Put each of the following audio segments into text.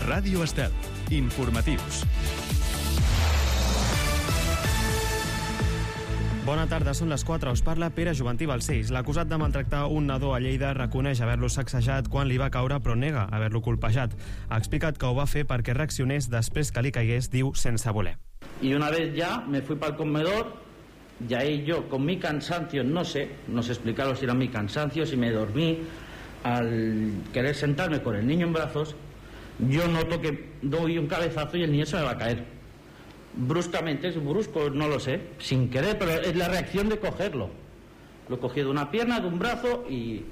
Ràdio Estel. Informatius. Bona tarda, són les 4. Us parla Pere Joventí Balcells. L'acusat de maltractar un nadó a Lleida reconeix haver-lo sacsejat quan li va caure, però nega haver-lo colpejat. Ha explicat que ho va fer perquè reaccionés després que li caigués, diu, sense voler. Y una vez ya me fui para el comedor, y ahí yo con mi cansancio, no sé explicaros si era mi cansancio, si me dormí, al querer sentarme con el niño en brazos, yo noto que doy un cabezazo y el niño se me va a caer. Bruscamente, es brusco, no lo sé, sin querer, pero es la reacción de cogerlo. Lo he cogido de una pierna, de un brazo y...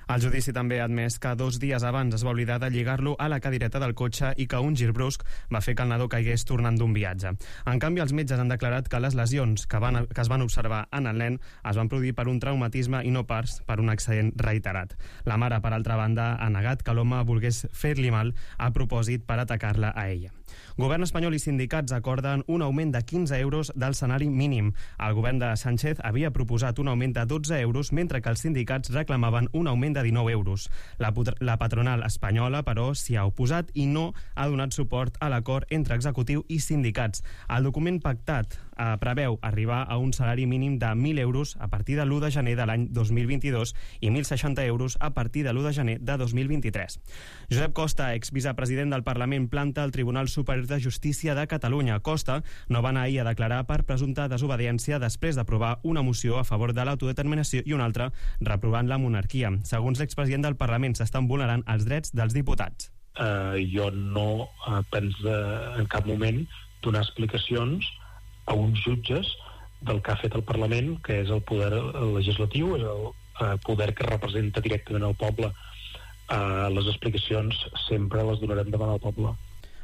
El judici també ha admès que 2 dies abans es va oblidar de lligar-lo a la cadireta del cotxe i que un gir brusc va fer que el nadó caigués tornant d'un viatge. En canvi, els metges han declarat que les lesions que es van observar en el nen es van produir per un traumatisme i no pas per un accident reiterat. La mare, per altra banda, ha negat que l'home volgués fer-li mal a propòsit per atacar-la a ella. Govern espanyol i sindicats acorden un augment de 15 euros del salari mínim. El govern de Sánchez havia proposat un augment de 12 euros, mentre que els sindicats reclamaven un augment de 19 euros. La patronal espanyola, però, s'hi ha oposat i no ha donat suport a l'acord entre executiu i sindicats. El document pactat preveu arribar a un salari mínim de 1.000 euros a partir de l'1 de gener de l'any 2022 i 1.060 euros a partir de l'1 de gener de 2023. Josep Costa, exvicepresident del Parlament, planta al Tribunal Superior de Justícia de Catalunya. Costa no va anar ahir a declarar per presumpta desobediència després d'aprovar una moció a favor de l'autodeterminació i una altra reprovant la monarquia. Segons l'expresident del Parlament, s'estan vulnerant els drets dels diputats. Jo no penso en cap moment donar explicacions a uns jutges del que ha fet el Parlament, que és el poder legislatiu, és el poder que representa directament el poble. Les explicacions sempre les donarem davant el poble.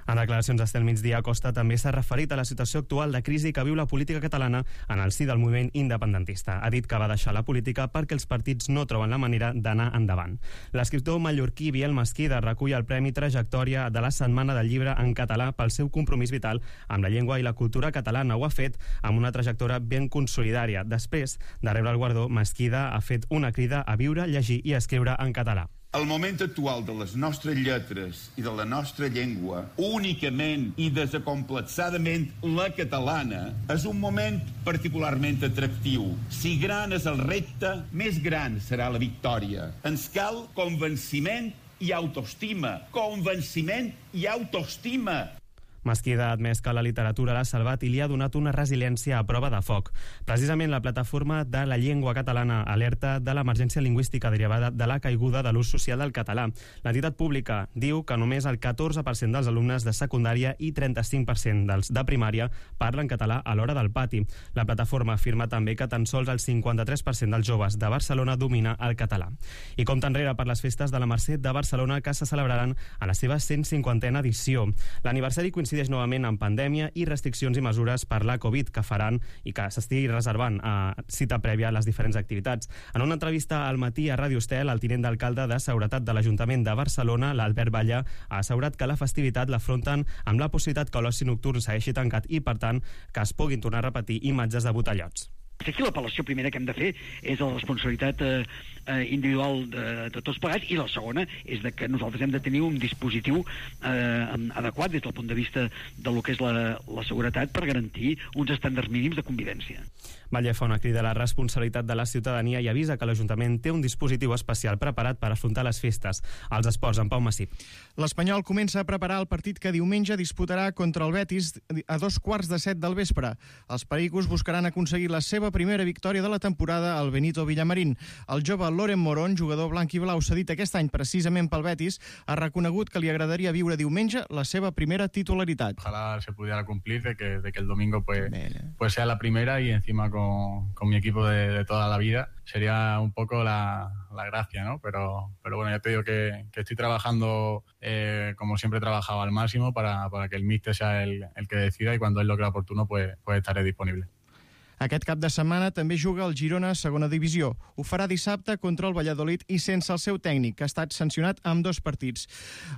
En declaracions d'Estel Migdia, Costa també s'ha referit a la situació actual de crisi que viu la política catalana en el si del moviment independentista. Ha dit que va deixar la política perquè els partits no troben la manera d'anar endavant. L'escriptor mallorquí Biel Mesquida recull el Premi Trajectòria de la Setmana del Llibre en català pel seu compromís vital amb la llengua i la cultura catalana. Ho ha fet amb una trajectòria ben consolidària. Després de rebre el guardó, Mesquida ha fet una crida a viure, llegir i escriure en català. El moment actual de les nostres lletres i de la nostra llengua, únicament i desacomplexadament la catalana, és un moment particularment atractiu. Si gran és el repte, més gran serà la victòria. Ens cal convenciment i autoestima. Convenciment i autoestima. Mesquida ha admès que la literatura l'ha salvat i li ha donat una resiliència a prova de foc. Precisament la plataforma de la llengua catalana alerta de l'emergència lingüística derivada de la caiguda de l'ús social del català. L'entitat pública diu que només el 14% dels alumnes de secundària i 35% dels de primària parlen català a l'hora del pati. La plataforma afirma també que tan sols el 53% dels joves de Barcelona domina el català. I compta enrere per les festes de la Mercè de Barcelona que se celebraran a la seva 150a edició. L'aniversari coincideix novament amb pandèmia i restriccions i mesures per la Covid que faran i que s'estigui reservant a cita prèvia a les diferents activitats. En una entrevista al matí a Ràdio Estel, el tinent d'alcalde de Seguretat de l'Ajuntament de Barcelona, l'Albert Balla, ha assegurat que la festivitat l'afronten amb la possibilitat que l'oci nocturn segueixi tancat i, per tant, que es puguin tornar a repetir imatges de botellots. Aquí l'apel·lació primera que hem de fer és la responsabilitat individual de tots plegats, i la segona és de que nosaltres hem de tenir un dispositiu adequat des del punt de vista del que és la seguretat per garantir uns estàndards mínims de convivència. Batlle fa una crida a la responsabilitat de la ciutadania i avisa que l'Ajuntament té un dispositiu especial preparat per afrontar les festes. Els esports, en Pau Massip. L'Espanyol comença a preparar el partit que diumenge disputarà contra el Betis a 6:45 del vespre. Els pericos buscaran aconseguir la seva primera victòria de la temporada al Benito Villamarín. El jove Loren Morón, jugador blanc i blau cedit aquest any precisament pel Betis, ha reconegut que li agradaria viure diumenge la seva primera titularitat. Ojalá se pudiera cumplir de que el domingo pues sea la primera y encima con mi equipo de toda la vida. Sería un poco la gracia, ¿no? Pero bueno, ya te digo que estoy trabajando como siempre he trabajado al máximo para que el míster sea el que decida, y cuando él lo crea oportuno pues estaré disponible. Aquest cap de setmana també juga el Girona a segona divisió. Ho farà dissabte contra el Valladolid i sense el seu tècnic, que ha estat sancionat amb 2 partits.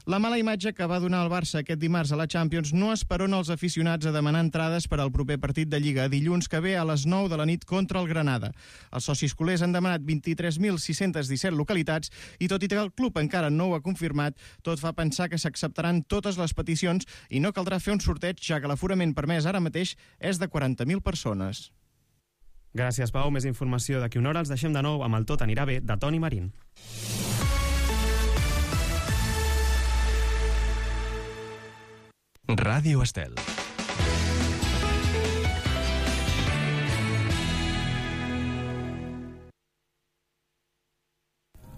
La mala imatge que va donar el Barça aquest dimarts a la Champions no esperona els aficionats a demanar entrades per al proper partit de Lliga dilluns que ve a les 9 de la nit contra el Granada. Els socis culers han demanat 23.617 localitats i tot i que el club encara no ho ha confirmat, tot fa pensar que s'acceptaran totes les peticions i no caldrà fer un sorteig, ja que l'aforament permès ara mateix és de 40.000 persones. Gràcies, Pau. Més informació d'aquí una hora. Els deixem de nou amb el Tot anirà bé, de Toni Marín. Ràdio Estel.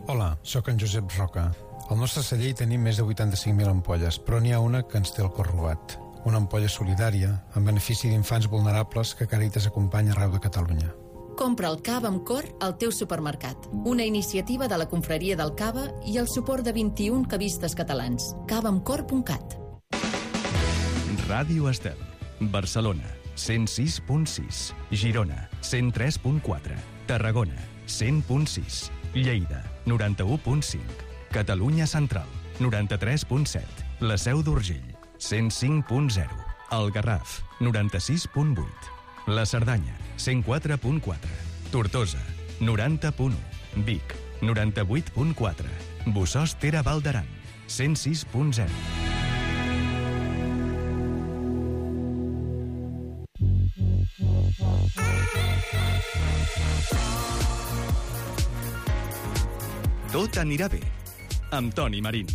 Hola, sóc en Josep Roca. Al nostre celler hi tenim més de 85.000 ampolles, però n'hi ha una que ens té el cor robat. Una ampolla solidària, en benefici d'infants vulnerables que Càritas acompanya arreu de Catalunya. Compra el cava amb cor al teu supermercat. Una iniciativa de la Confraria del Cava i el suport de 21 cavistes catalans. cavaamcor.cat. Ràdio Estel. Barcelona, 106.6. Girona, 103.4. Tarragona, 100.6. Lleida, 91.5. Catalunya Central, 93.7. La Seu d'Urgell, 105.0. El Garraf, 96.8. La Cerdanya, 104.4. Tortosa, 90.1. Vic, 98.4. Bossòst-Tere Val d'Aran, 106.0. Tot anirà bé, amb Toni Marín.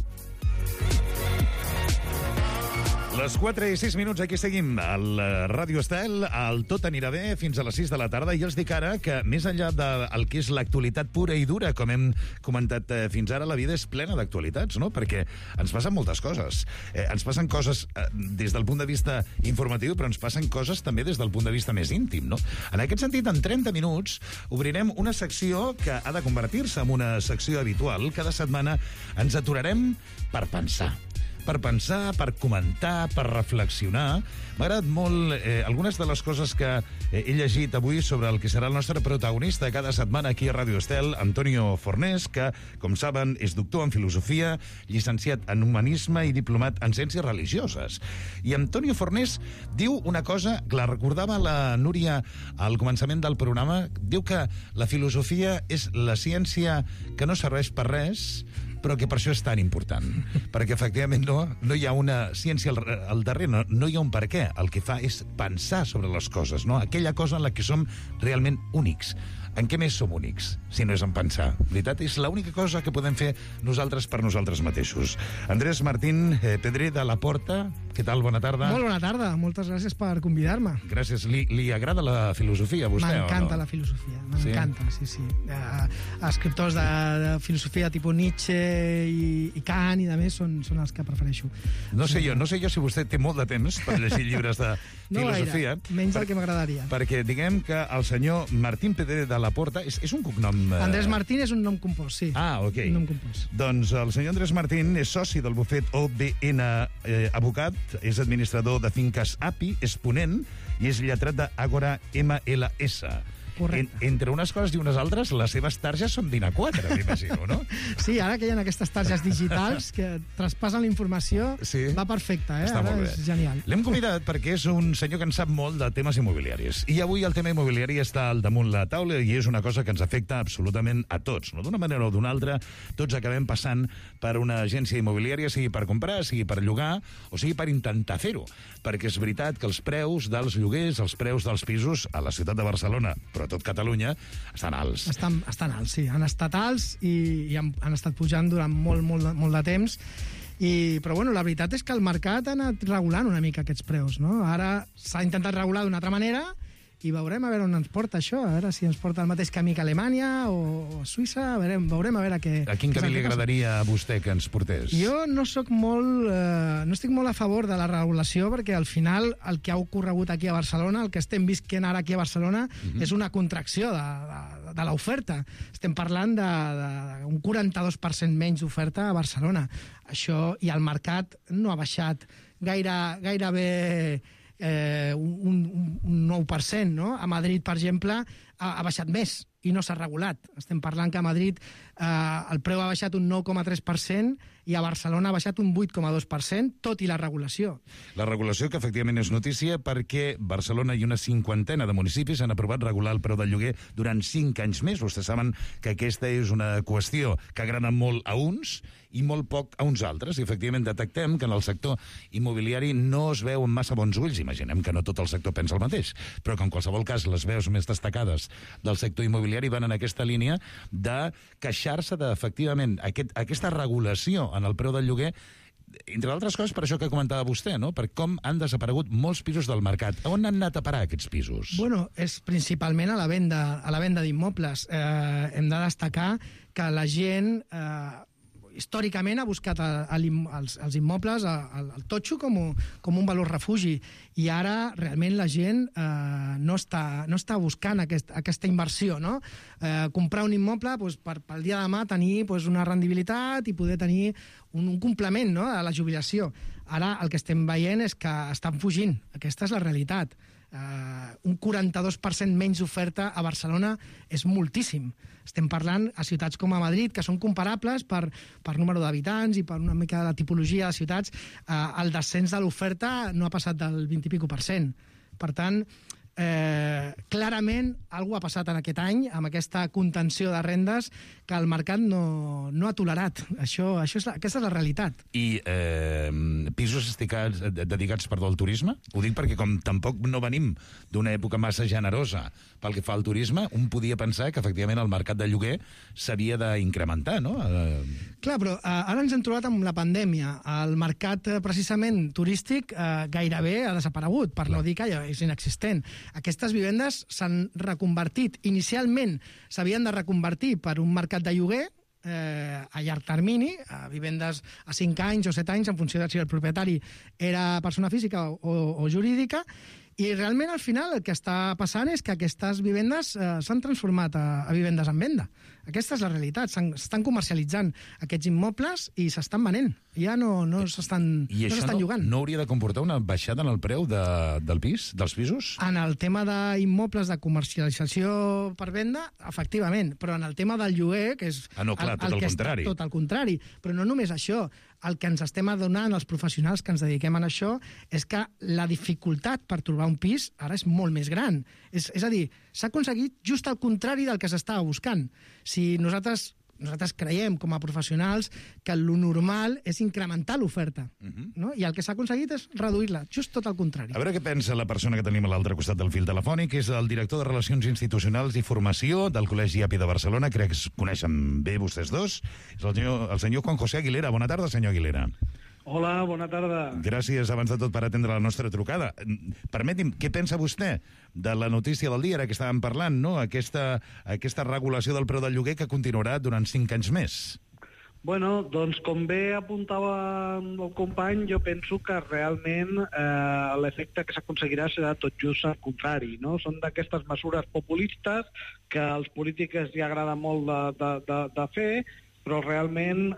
Les 4 i 6 minuts, aquí seguim al Ràdio Estel, al Tot anirà bé fins a les 6 de la tarda, i els dic ara que més enllà del que és l'actualitat pura i dura, com hem comentat fins ara, la vida és plena d'actualitats, no? Perquè ens passen moltes coses. Ens passen coses des del punt de vista informatiu, però ens passen coses també des del punt de vista més íntim, no? En aquest sentit, en 30 minuts obrirem una secció que ha de convertir-se en una secció habitual. Cada setmana ens aturarem per pensar, per comentar, per reflexionar. M'ha agradat molt algunes de les coses que he llegit avui sobre el que serà el nostre protagonista cada setmana aquí a Ràdio Estel, Antonio Fornés, que, com saben, és doctor en filosofia, llicenciat en humanisme i diplomat en ciències religioses. I Antonio Fornés diu una cosa que la recordava la Núria al començament del programa. Diu que la filosofia és la ciència que no serveix per res, però que per això és tan important. Perquè, efectivament, no hi ha una ciència al darrere, no hi ha un per què. El que fa és pensar sobre les coses, no? Aquella cosa en la que som realment únics. En què més som únics, si no és en pensar? Veritat, és l'única cosa que podem fer nosaltres per nosaltres mateixos. Andrés Martín Pedrer de la Porta, què tal? Bona tarda. Molt bona tarda, moltes gràcies per convidar-me. Gràcies. Li agrada la filosofia, a vostè, o no? M'encanta la filosofia, m'encanta, sí. Escriptors de filosofia tipus Nietzsche i Kant i de més són els que prefereixo. No sé jo si vostè té molt de temps per llegir llibres de filosofia. No gaire, menys del que m'agradaria. Perquè diguem que el senyor Martín Pedrer de la Porta és un cognom... Andrés Martín és un nom compost, sí. Ah, ok. Un nom compost. Doncs el senyor Andrés Martín és soci del bufet OBN Abocat, és administrador de finques API, és ponent i és lletrat d'Àgora MLS. Correcte. Entre unes coses i unes altres, les seves targes són d'INA4, m'imagino, no? Sí, ara que hi ha aquestes targes digitals que traspassen la informació, sí. Va perfecte, Està ara molt bé. És genial. L'hem convidat perquè és un senyor que en sap molt de temes immobiliaris. I avui el tema immobiliari està al damunt la taula i és una cosa que ens afecta absolutament a tots, no? D'una manera o d'una altra, tots acabem passant per una agència immobiliària, sigui per comprar, sigui per llogar, o sigui per intentar fer-ho. Perquè és veritat que els preus dels lloguers, els preus dels pisos a la ciutat de Barcelona, però a tot Catalunya, estan alts. Estan alts, sí. Han estat alts i han estat pujant durant molt de temps. Però bueno, la veritat és que el mercat ha anat regulant una mica aquests preus, no? Ara s'ha intentat regular d'una altra manera i veurem a veure on ens porta això, a veure si ens porta el mateix camí que Alemanya o Suïssa, veurem a veure què... A quin camí li agradaria a vostè que ens portés? Jo no estic molt a favor de la regulació, perquè al final el que ha ocorregut aquí a Barcelona, el que estem visquent ara aquí a Barcelona, és una contracció de l'oferta. Estem parlant d'un 42% menys d'oferta a Barcelona. Això, i el mercat no ha baixat gairebé un 9%, no? A Madrid, per exemple, ha baixat més i no s'ha regulat. Estem parlant que a Madrid el preu ha baixat un 9,3% i a Barcelona ha baixat un 8,2%, tot i la regulació. La regulació que efectivament és notícia perquè Barcelona i una 50ena de municipis han aprovat regular el preu del lloguer durant 5 anys més. Vostès saben que aquesta és una qüestió que agrada molt a uns i molt poc a uns altres. I efectivament detectem que en el sector immobiliari no es veu amb massa bons ulls. Imaginem que no tot el sector pensa el mateix, però que en qualsevol cas les veus més destacades del sector immobiliari van en aquesta línia de queixar-se d'efectivament aquesta regulació en el preu del lloguer, entre altres coses per això que comentava vostè, no? Per com han desaparegut molts pisos del mercat. On han anat a parar aquests pisos? Bueno, és principalment a la venda d'immobles. Hem de destacar que la gent històricament ha buscat els immobles, el totxo, com un valor refugi, i ara realment la gent no està buscant aquesta inversió, no? Comprar un immoble pel dia de demà tenir una rendibilitat i poder tenir un complement, no?, a la jubilació. Ara el que estem veient és que estan fugint. Aquesta és la realitat. Un 42% menys oferta a Barcelona és moltíssim. Estem parlant a ciutats com a Madrid, que són comparables per número d'habitants i per una mica de la tipologia de ciutats. El descens de l'oferta no ha passat del 20%. Per tant, clarament alguna ha passat en aquest any amb aquesta contenció de rendes que el mercat no ha tolerat. Aquesta és la realitat. I pisos dedicats al turisme? Ho dic perquè com tampoc no venim d'una època massa generosa pel que fa al turisme, un podia pensar que efectivament el mercat de lloguer s'havia d'incrementar, no? Clar, però ara ens hem trobat amb la pandèmia. El mercat precisament turístic gairebé ha desaparegut, per no dir que és inexistent. Aquestes vivendes s'han reconvertit. Inicialment s'havien de reconvertir per un mercat de lloguer a llarg termini, a vivendes a 5 anys o 7 anys, en funció de si el propietari era persona física o jurídica, i realment al final el que està passant és que aquestes vivendes s'han transformat a vivendes en venda. Aquesta és la realitat. S'estan comercialitzant aquests immobles i s'estan venent. Ja no s'estan llogant. No hauria de comportar una baixada en el preu dels pisos? En el tema d'immobles de comercialització per venda, efectivament, però en el tema del lloguer, que és... no, clar, tot el contrari. Tot el contrari. Però no només això. El que ens estem adonant, els professionals que ens dediquem a això, és que la dificultat per trobar un pis ara és molt més gran. És a dir, s'ha aconseguit just el contrari del que s'estava buscant. Si nosaltres creiem, com a professionals, que el normal és incrementar l'oferta, no? I el que s'ha aconseguit és reduir-la, just tot el contrari. A veure què pensa la persona que tenim a l'altre costat del fil telefònic, és el director de Relacions Institucionals i Formació del Col·legi API de Barcelona. Crec que es coneixen bé vostès dos. És el senyor Juan José Aguilera. Bona tarda, senyor Aguilera. Hola, bona tarda. Gràcies, abans de tot, per atendre la nostra trucada. Permeti'm, què pensa vostè de la notícia del dia, ara que estàvem parlant, no? Aquesta regulació del preu del lloguer que continuarà durant 5 anys més? Bueno, doncs com bé apuntava el company, jo penso que realment l'efecte que s'aconseguirà serà tot just al contrari, no? Són d'aquestes mesures populistes que als polítics hi agrada molt de fer, però realment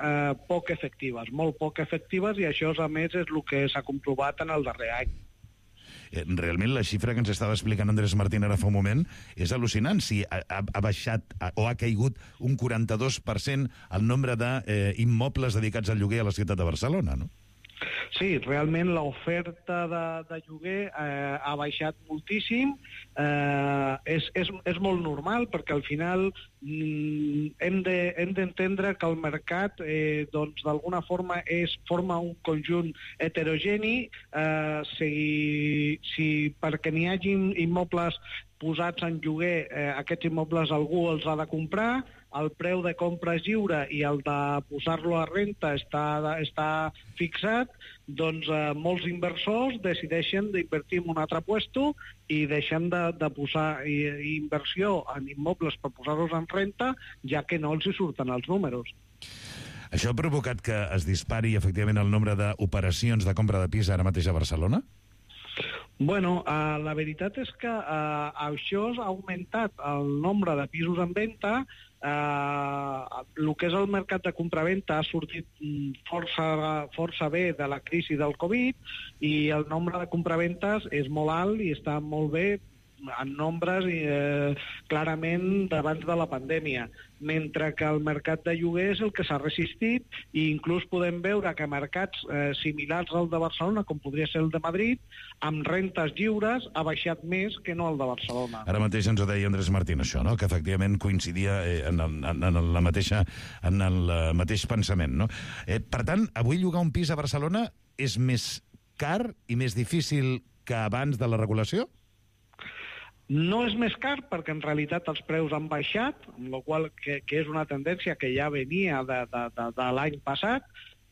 poc efectives, molt poc efectives, i això, a més, és el que s'ha comprovat en el darrer any. Realment la xifra que ens estava explicant Andrés Martín ara fa un moment és al·lucinant. Si ha baixat o ha caigut un 42% el nombre d'immobles dedicats al lloguer a la ciutat de Barcelona, no? Sí, realment l'oferta de lloguer ha baixat moltíssim. És molt normal, perquè al final hem d'entendre que el mercat doncs d'alguna forma forma un conjunt heterogeni. Si perquè n'hi hagi immobles posats en lloguer, aquests immobles algú els ha de comprar, el preu de compra és lliure i el de posar-lo a renta està fixat, doncs molts inversors decideixen d'invertir en un altre puesto i deixen de posar inversió en immobles per posar-los en renta, ja que no els hi surten els números. Això ha provocat que es dispari efectivament el nombre d'operacions de compra de pis ara mateix a Barcelona? Bueno, la veritat és que això ha augmentat el nombre de pisos en venda el que és el mercat de compraventa ha sortit força bé de la crisi del Covid i el nombre de compraventes és molt alt i està molt bé en nombres clarament d'abans de la pandèmia, mentre que el mercat de lloguer és el que s'ha resistit i inclús podem veure que mercats similars al de Barcelona, com podria ser el de Madrid, amb rentes lliures ha baixat més que no el de Barcelona. Ara mateix ens ho deia Andrés Martín, això, no? Que efectivament coincidia en el mateix pensament, no? Per tant, avui llogar un pis a Barcelona és més car i més difícil que abans de la regulació? No és més car perquè en realitat els preus han baixat, amb la qual que és una tendència que ja venia de l'any passat.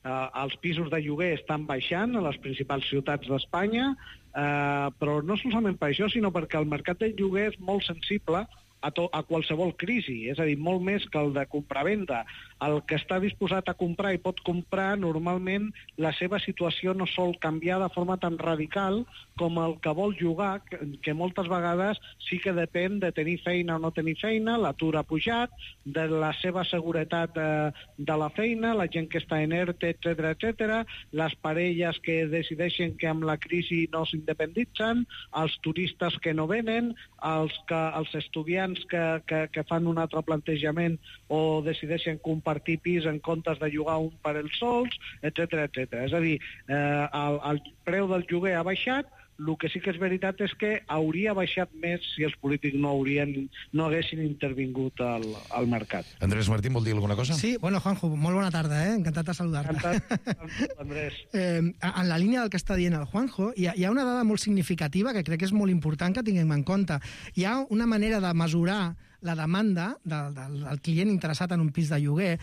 Els pisos de lloguer estan baixant a les principals ciutats d'Espanya, però no solament per això, sinó perquè el mercat de lloguer és molt sensible a qualsevol crisi, és a dir, molt més que el de compravenda. El que està disposat a comprar i pot comprar, normalment la seva situació no sol canviar de forma tan radical com el que vol llogar, que moltes vegades sí que depèn de tenir feina o no tenir feina, l'atur ha pujat, de la seva seguretat de la feina, la gent que està en ERTE, etc., les parelles que decideixen que amb la crisi no s'independitzen, els turistes que no venen, els estudiants que fan un altre plantejament o decideixen compartir pis en comptes de llogar un per ells sols, etc. És a dir, el preu del lloguer ha baixat. El que sí que és veritat és que hauria baixat més si els polítics no haguessin intervingut al mercat. Andrés Martín, vol dir alguna cosa? Sí, bueno, Juanjo, molt bona tarda, encantat de saludar-te. Encantat, Andrés. En la línia del que està dient el Juanjo, hi ha una dada molt significativa que crec que és molt important que tinguem en compte. Hi ha una manera de mesurar la demanda del client interessat en un pis de lloguer,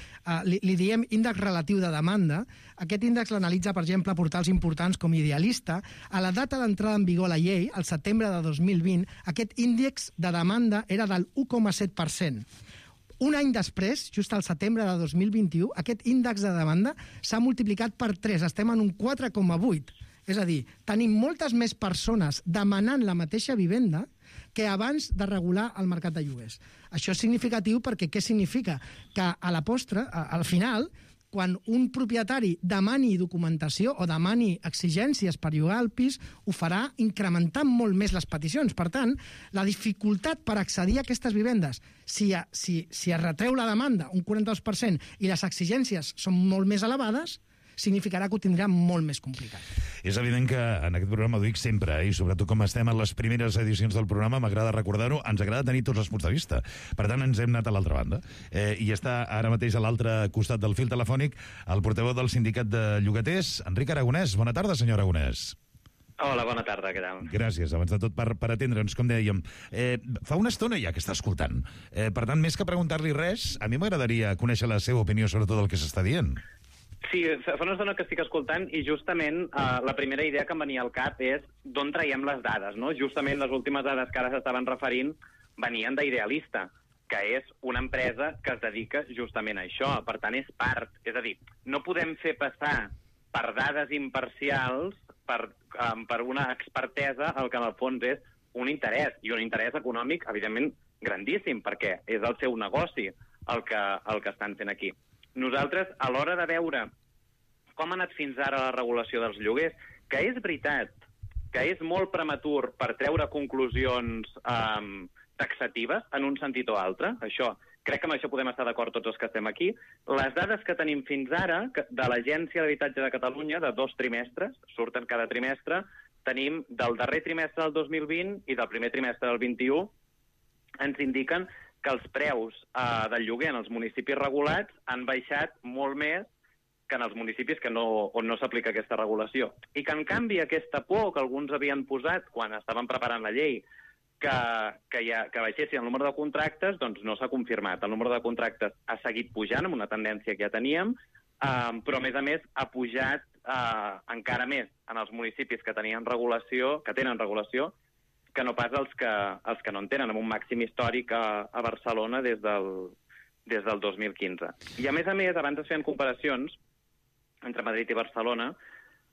li diem índex relatiu de demanda. Aquest índex l'analitza, per exemple, portals importants com Idealista. A la data d'entrada en vigor la llei, al setembre de 2020, aquest índex de demanda era del 1,7%. Un any després, just al setembre de 2021, aquest índex de demanda s'ha multiplicat per 3, estem en un 4,8. És a dir, tenim moltes més persones demanant la mateixa vivenda que abans de regular el mercat de lloguers. Això és significatiu perquè què significa? Que a la postre, al final, quan un propietari demani documentació o demani exigències per llogar el pis, ho farà incrementant molt més les peticions. Per tant, la dificultat per accedir a aquestes vivendes, si es retreu la demanda un 42% i les exigències són molt més elevades, significarà que ho tindrà molt més complicat. És evident que en aquest programa ho dic sempre, i sobretot com estem en les primeres edicions del programa, m'agrada recordar-ho, ens agrada tenir tots els punts de vista. Per tant, ens hem anat a l'altra banda. I està ara mateix a l'altre costat del fil telefònic el portaveu del sindicat de llogaters, Enric Aragonès. Bona tarda, senyor Aragonès. Hola, bona tarda, què tal? Gràcies, abans de tot, per atendre'ns, com dèiem. Fa una estona ja que està escoltant. Per tant, més que preguntar-li res, a mi m'agradaria conèixer la seva opinió sobre tot el que s'està dient. Sí, fa una estona que estic escoltant i justament la primera idea que em venia al cap és d'on traiem les dades, no? Justament les últimes dades que ara s'estaven referint venien d'Idealista, que és una empresa que es dedica justament a això, per tant és part. És a dir, no podem fer passar per dades imparcials, per una expertesa, el que en el fons és un interès, i un interès econòmic, evidentment, grandíssim, perquè és el seu negoci el que estan fent aquí. Nosaltres, a l'hora de veure com ha anat fins ara la regulació dels lloguers, que és veritat que és molt prematur per treure conclusions taxatives en un sentit o altre, crec que amb això podem estar d'acord tots els que estem aquí. Les dades que tenim fins ara de l'Agència d'Habitatge de Catalunya, de 2 trimestres, surten cada trimestre, tenim del darrer trimestre del 2020 i del primer trimestre del 21, ens indiquen que els preus del lloguer en els municipis regulats han baixat molt més que en els municipis on no s'aplica aquesta regulació. I que, en canvi, aquesta por que alguns havien posat quan estaven preparant la llei que baixessin el número de contractes, doncs no s'ha confirmat. El número de contractes ha seguit pujant amb una tendència que ja teníem, però, a més, ha pujat encara més en els municipis que tenen regulació, que no pas els que no en tenen, amb un màxim històric a Barcelona des del 2015. I a més, abans es feien comparacions entre Madrid i Barcelona.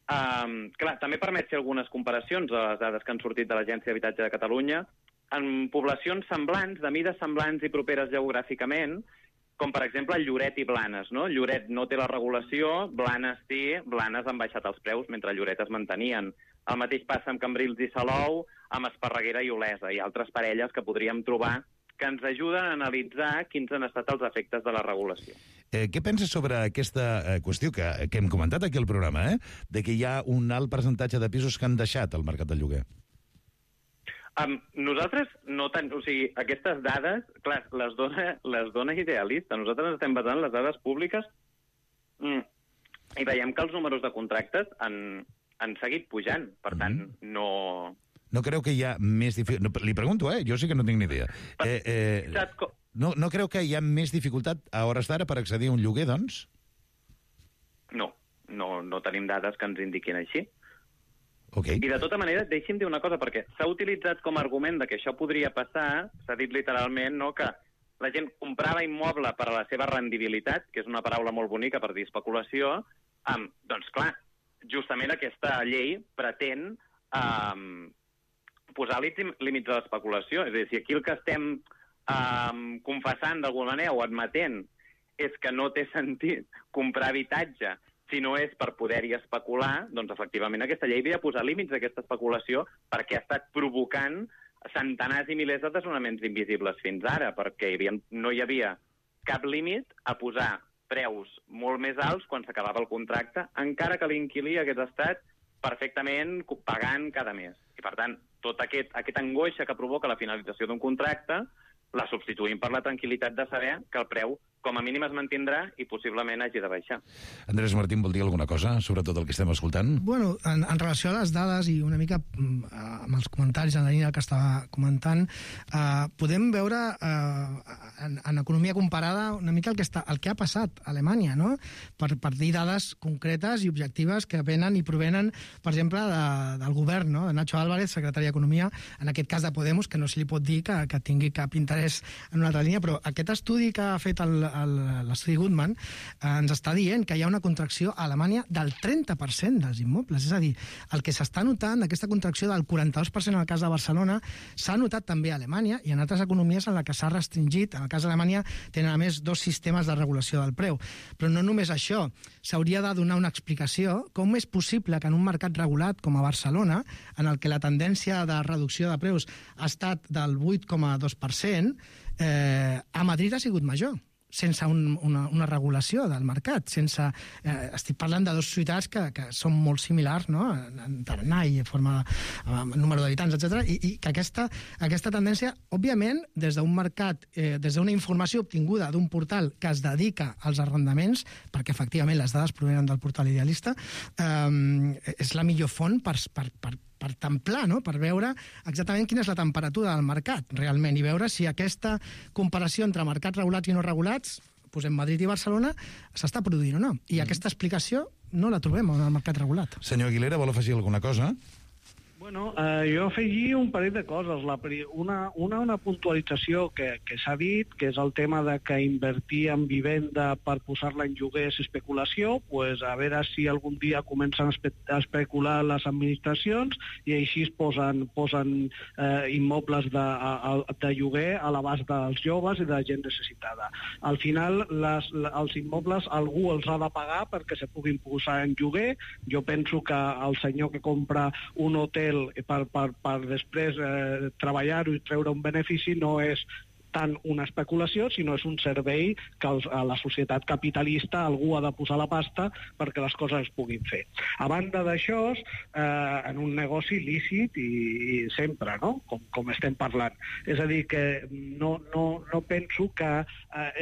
Clar, també permet fer algunes comparacions a les dades que han sortit de l'Agència d'Habitatge de Catalunya en poblacions semblants, de mides semblants i properes geogràficament, com per exemple el Lloret i Blanes, no? Lloret no té la regulació, Blanes sí, Blanes han baixat els preus mentre Lloret es mantenien. El mateix passa amb Cambrils i Salou, amb Esparreguera i Olesa, i altres parelles que podríem trobar que ens ajuden a analitzar quins han estat els efectes de la regulació. Què penses sobre aquesta qüestió que hem comentat aquí al programa, de que hi ha un alt percentatge de pisos que han deixat el mercat del lloguer? Nosaltres no tant... O sigui, aquestes dades, clar, les dona idealista. Nosaltres estem basant les dades públiques i veiem que els números de contractes han seguit pujant. Per tant, no... No creu que hi ha més dificultat... Li pregunto, jo sí que no tinc ni idea. No creu que hi ha més dificultat a hores d'ara per accedir a un lloguer, doncs? No tenim dades que ens indiquin així. Okay. I de tota manera, deixi'm dir una cosa, perquè s'ha utilitzat com a argument de que això podria passar, s'ha dit literalment, no?, que la gent comprava immoble per a la seva rendibilitat, que és una paraula molt bonica per dir especulació, doncs clar, justament aquesta llei pretén posar límits a l'especulació. És a dir, si aquí el que estem confessant d'alguna manera o admetent és que no té sentit comprar habitatge si no és per poder-hi especular, doncs efectivament aquesta llei havia de posar límits a aquesta especulació perquè ha estat provocant centenars i milers de desnonaments invisibles fins ara, perquè no hi havia cap límit a posar preus molt més alts quan s'acabava el contracte, encara que l'inquilí hagués estat perfectament pagant cada mes. I, per tant, tota aquesta angoixa que provoca la finalització d'un contracte la substituïm per la tranquil·litat de saber que el preu com a mínim es mantindrà i possiblement hagi de baixar. Andrés Martín, vol dir alguna cosa sobre tot el que estem escoltant? Bueno, en relació a les dades i una mica amb els comentaris en la línia que estava comentant, podem veure en economia comparada una mica el que ha passat a Alemanya, no? Per dir dades concretes i objectives que venen i provenen, per exemple, del govern, no? De Nacho Álvarez, secretari d'Economia, en aquest cas de Podemos, que no se li pot dir que tingui cap interès en una altra línia, però aquest estudi que ha fet l'estudi Goodman ens està dient que hi ha una contracció a Alemanya del 30% dels immobles. És a dir, el que s'està notant, aquesta contracció del 42% en el cas de Barcelona, s'ha notat també a Alemanya i en altres economies en la que s'ha restringit. En el cas d'Alemanya tenen a més 2 sistemes de regulació del preu. Però no només això, s'hauria de donar una explicació com és possible que en un mercat regulat com a Barcelona, en el que la tendència de reducció de preus ha estat del 8,2%, a Madrid ha sigut major, sense una regulació del mercat. Estic parlant de 2 ciutats que són molt similars, no?, en tarannà i número d'habitants, etc. I que aquesta tendència, òbviament, des d'un mercat, des d'una informació obtinguda d'un portal que es dedica als arrendaments, perquè efectivament les dades provenen del portal Idealista, és la millor font per templar, no?, per veure exactament quina és la temperatura del mercat, realment, i veure si aquesta comparació entre mercats regulats i no regulats, posem Madrid i Barcelona, s'està produint o no. I aquesta explicació no la trobem en el mercat regulat. Senyor Aguilera, vol afegir alguna cosa? Bueno, jo afegia un parell de coses. Una puntualització que s'ha dit, que és el tema de que invertir en vivenda per posar-la en lloguer és especulació, pues a veure si algun dia comencen a especular les administracions i així es posen immobles de lloguer a l'abast dels joves i de la gent necessitada. Al final, els immobles algú els ha de pagar perquè se puguin posar en lloguer. Jo penso que el senyor que compra un hotel per després treballar-ho i treure un benefici no és tant una especulació, sinó és un servei que a la societat capitalista algú ha de posar la pasta perquè les coses es puguin fer. A banda d'això, en un negoci lícit i sempre, no?, com estem parlant. És a dir, que no penso que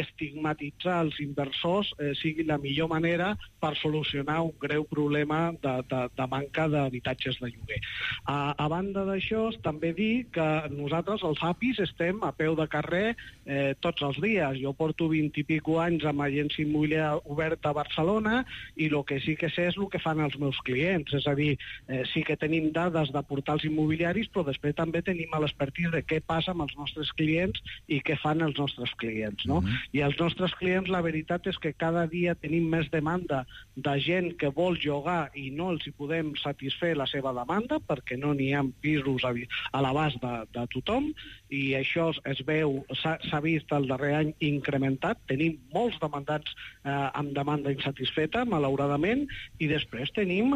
estigmatitzar els inversors sigui la millor manera per solucionar un greu problema de manca d'habitatges de lloguer. A banda d'això, també dir que nosaltres, els APIs, estem a peu de carrer tots els dies. Jo porto 20 i pico anys amb agència immobiliària oberta a Barcelona i el que sí que sé és el que fan els meus clients. És a dir, sí que tenim dades de portals immobiliaris, però després també tenim l'expertise de què passa amb els nostres clients i què fan els nostres clients, no? I els nostres clients, la veritat és que cada dia tenim més demanda de gent que vol llogar i no els hi podem satisfer la seva demanda perquè no n'hi ha pisos a l'abast de tothom, i això es veu s'ha vist el darrer any incrementat. Tenim molts demandants amb demanda insatisfeta, malauradament, i després tenim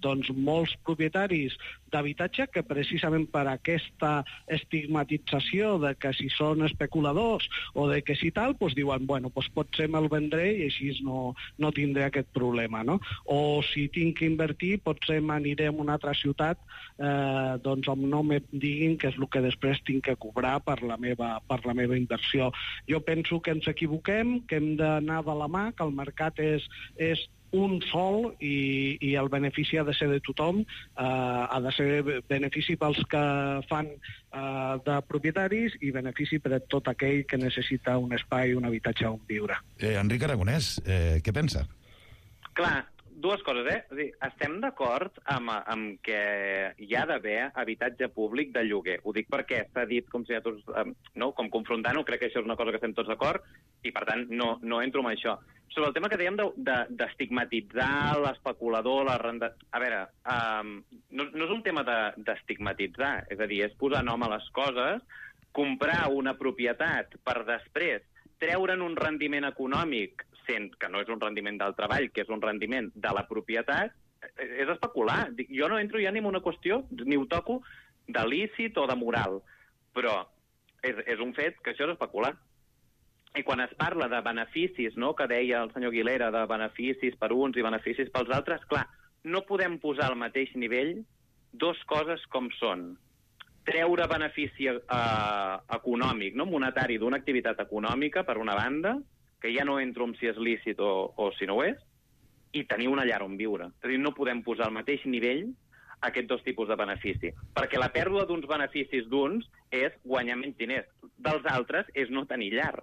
doncs molts propietaris d'habitatge que precisament per aquesta estigmatització de que si són especuladors o de que si tal, doncs diuen, bueno, doncs potser me'l vendré i així no tindré aquest problema, no? O si tinc que invertir, potser m'aniré a una altra ciutat doncs on no me diguin què és el que després tinc que cobrar per la meva inversió. Jo penso que ens equivoquem, que hem d'anar de la mà, que el mercat és un sol i el benefici ha de ser de tothom, ha de ser benefici pels que fan de propietaris i benefici per a tot aquell que necessita un espai, un habitatge on viure. Enric Aragonès, què pensa? Clar, dues coses, És a dir, estem d'acord amb que hi ha d'haver habitatge públic de lloguer. Ho dic perquè s'ha dit com si tots, com confrontant-ho, crec que això és una cosa que estem tots d'acord i, per tant, no entro en això. Sobre el tema que dèiem d'estigmatitzar l'especulador, la renda... A veure, no és un tema d'estigmatitzar, és a dir, és posar nom a les coses, comprar una propietat per després treure'n un rendiment econòmic sent que no és un rendiment del treball, que és un rendiment de la propietat, és especular. Jo no entro ja ni en una qüestió, ni ho toco, de lícit o de moral, però és un fet que això és especular. I quan es parla de beneficis, no?, que deia el senyor Aguilera, de beneficis per uns i beneficis pels altres, clar, no podem posar al mateix nivell dues coses com són treure benefici econòmic, no monetari, d'una activitat econòmica, per una banda, que ja no entro en si és lícit o si no ho és, i tenir una llar on viure. És a dir, no podem posar al mateix nivell aquests dos tipus de benefici, perquè la pèrdua d'uns beneficis d'uns és guanyar menys diners, dels altres és no tenir llar.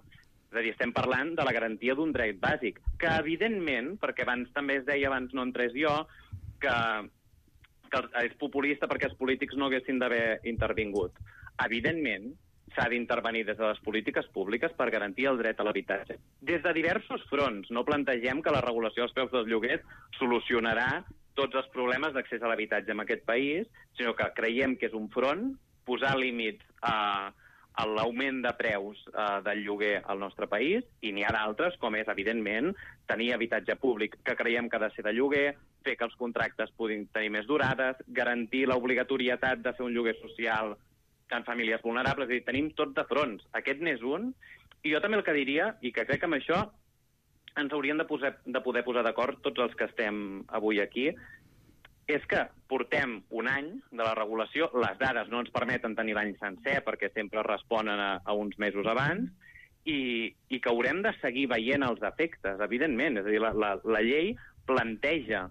És a dir, estem parlant de la garantia d'un dret bàsic, que evidentment, perquè abans també es deia, abans no entrés jo, que és populista perquè els polítics no haguessin d'haver intervingut. Evidentment, s'ha d'intervenir des de les polítiques públiques per garantir el dret a l'habitatge. Des de diversos fronts. No plantegem que la regulació dels preus dels lloguers solucionarà tots els problemes d'accés a l'habitatge en aquest país, sinó que creiem que és un front, posar límits a l'augment de preus del lloguer al nostre país, i n'hi ha d'altres, com és, evidentment, tenir habitatge públic que creiem que ha de ser de lloguer, fer que els contractes puguin tenir més durades, garantir l'obligatorietat de fer un lloguer social en famílies vulnerables. És a dir, tenim tot de fronts. Aquest n'és un, i jo també el que diria, i que crec que amb això ens hauríem de poder posar d'acord tots els que estem avui aquí, és que portem un any de la regulació, les dades no ens permeten tenir l'any sencer perquè sempre responen a uns mesos abans, i que haurem de seguir veient els efectes, evidentment. És a dir, la llei planteja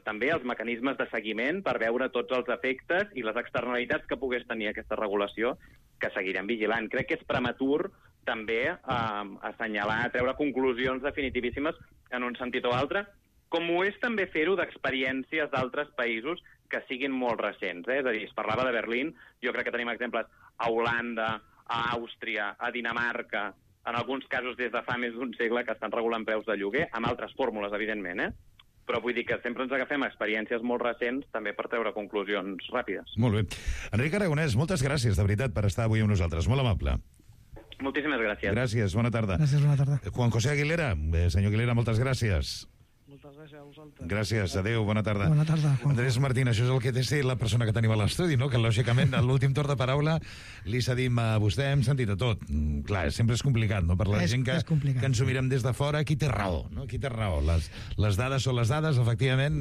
també els mecanismes de seguiment per veure tots els efectes i les externalitats que pogués tenir aquesta regulació, que seguirem vigilant. Crec que és prematur també assenyalar, treure conclusions definitivíssimes en un sentit o altre, com ho és també fer-ho d'experiències d'altres països que siguin molt recents. És a dir, es parlava de Berlín, jo crec que tenim exemples a Holanda, a Àustria, a Dinamarca, en alguns casos des de fa més d'un segle que estan regulant preus de lloguer, amb altres fórmules, evidentment, però vull dir que sempre ens agafem experiències molt recents també per treure conclusions ràpides. Molt bé. Enric Aragonès, moltes gràcies, de veritat, per estar avui amb nosaltres. Molt amable. Moltíssimes gràcies. Gràcies, bona tarda. Gràcies, bona tarda. Juan José Aguilera, senyor Aguilera, moltes gràcies. Moltes gràcies a vosaltres. Gràcies, adéu, bona tarda. Bona tarda, Juan. Andrés Martín, això és el que té ser la persona que tenim a l'estudi, no? Que lògicament a l'últim torn de paraula li cedim a vostè, hem sentit a tot. Clar, sempre és complicat, no? Per la gent que ens ho mirem des de fora, qui té raó, no? Qui té raó? Les dades són les dades, efectivament,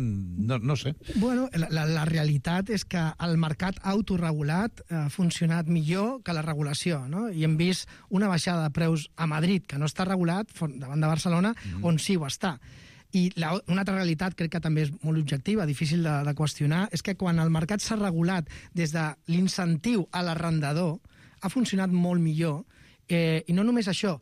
no sé. Bueno, la realitat és que el mercat autorregulat ha funcionat millor que la regulació, no? I hem vist una baixada de preus a Madrid, que no està regulat, davant de Barcelona, on sí ho està. I una altra realitat, crec que també és molt objectiva, difícil de qüestionar, és que quan el mercat s'ha regulat des de l'incentiu a l'arrendador, ha funcionat molt millor. I no només això,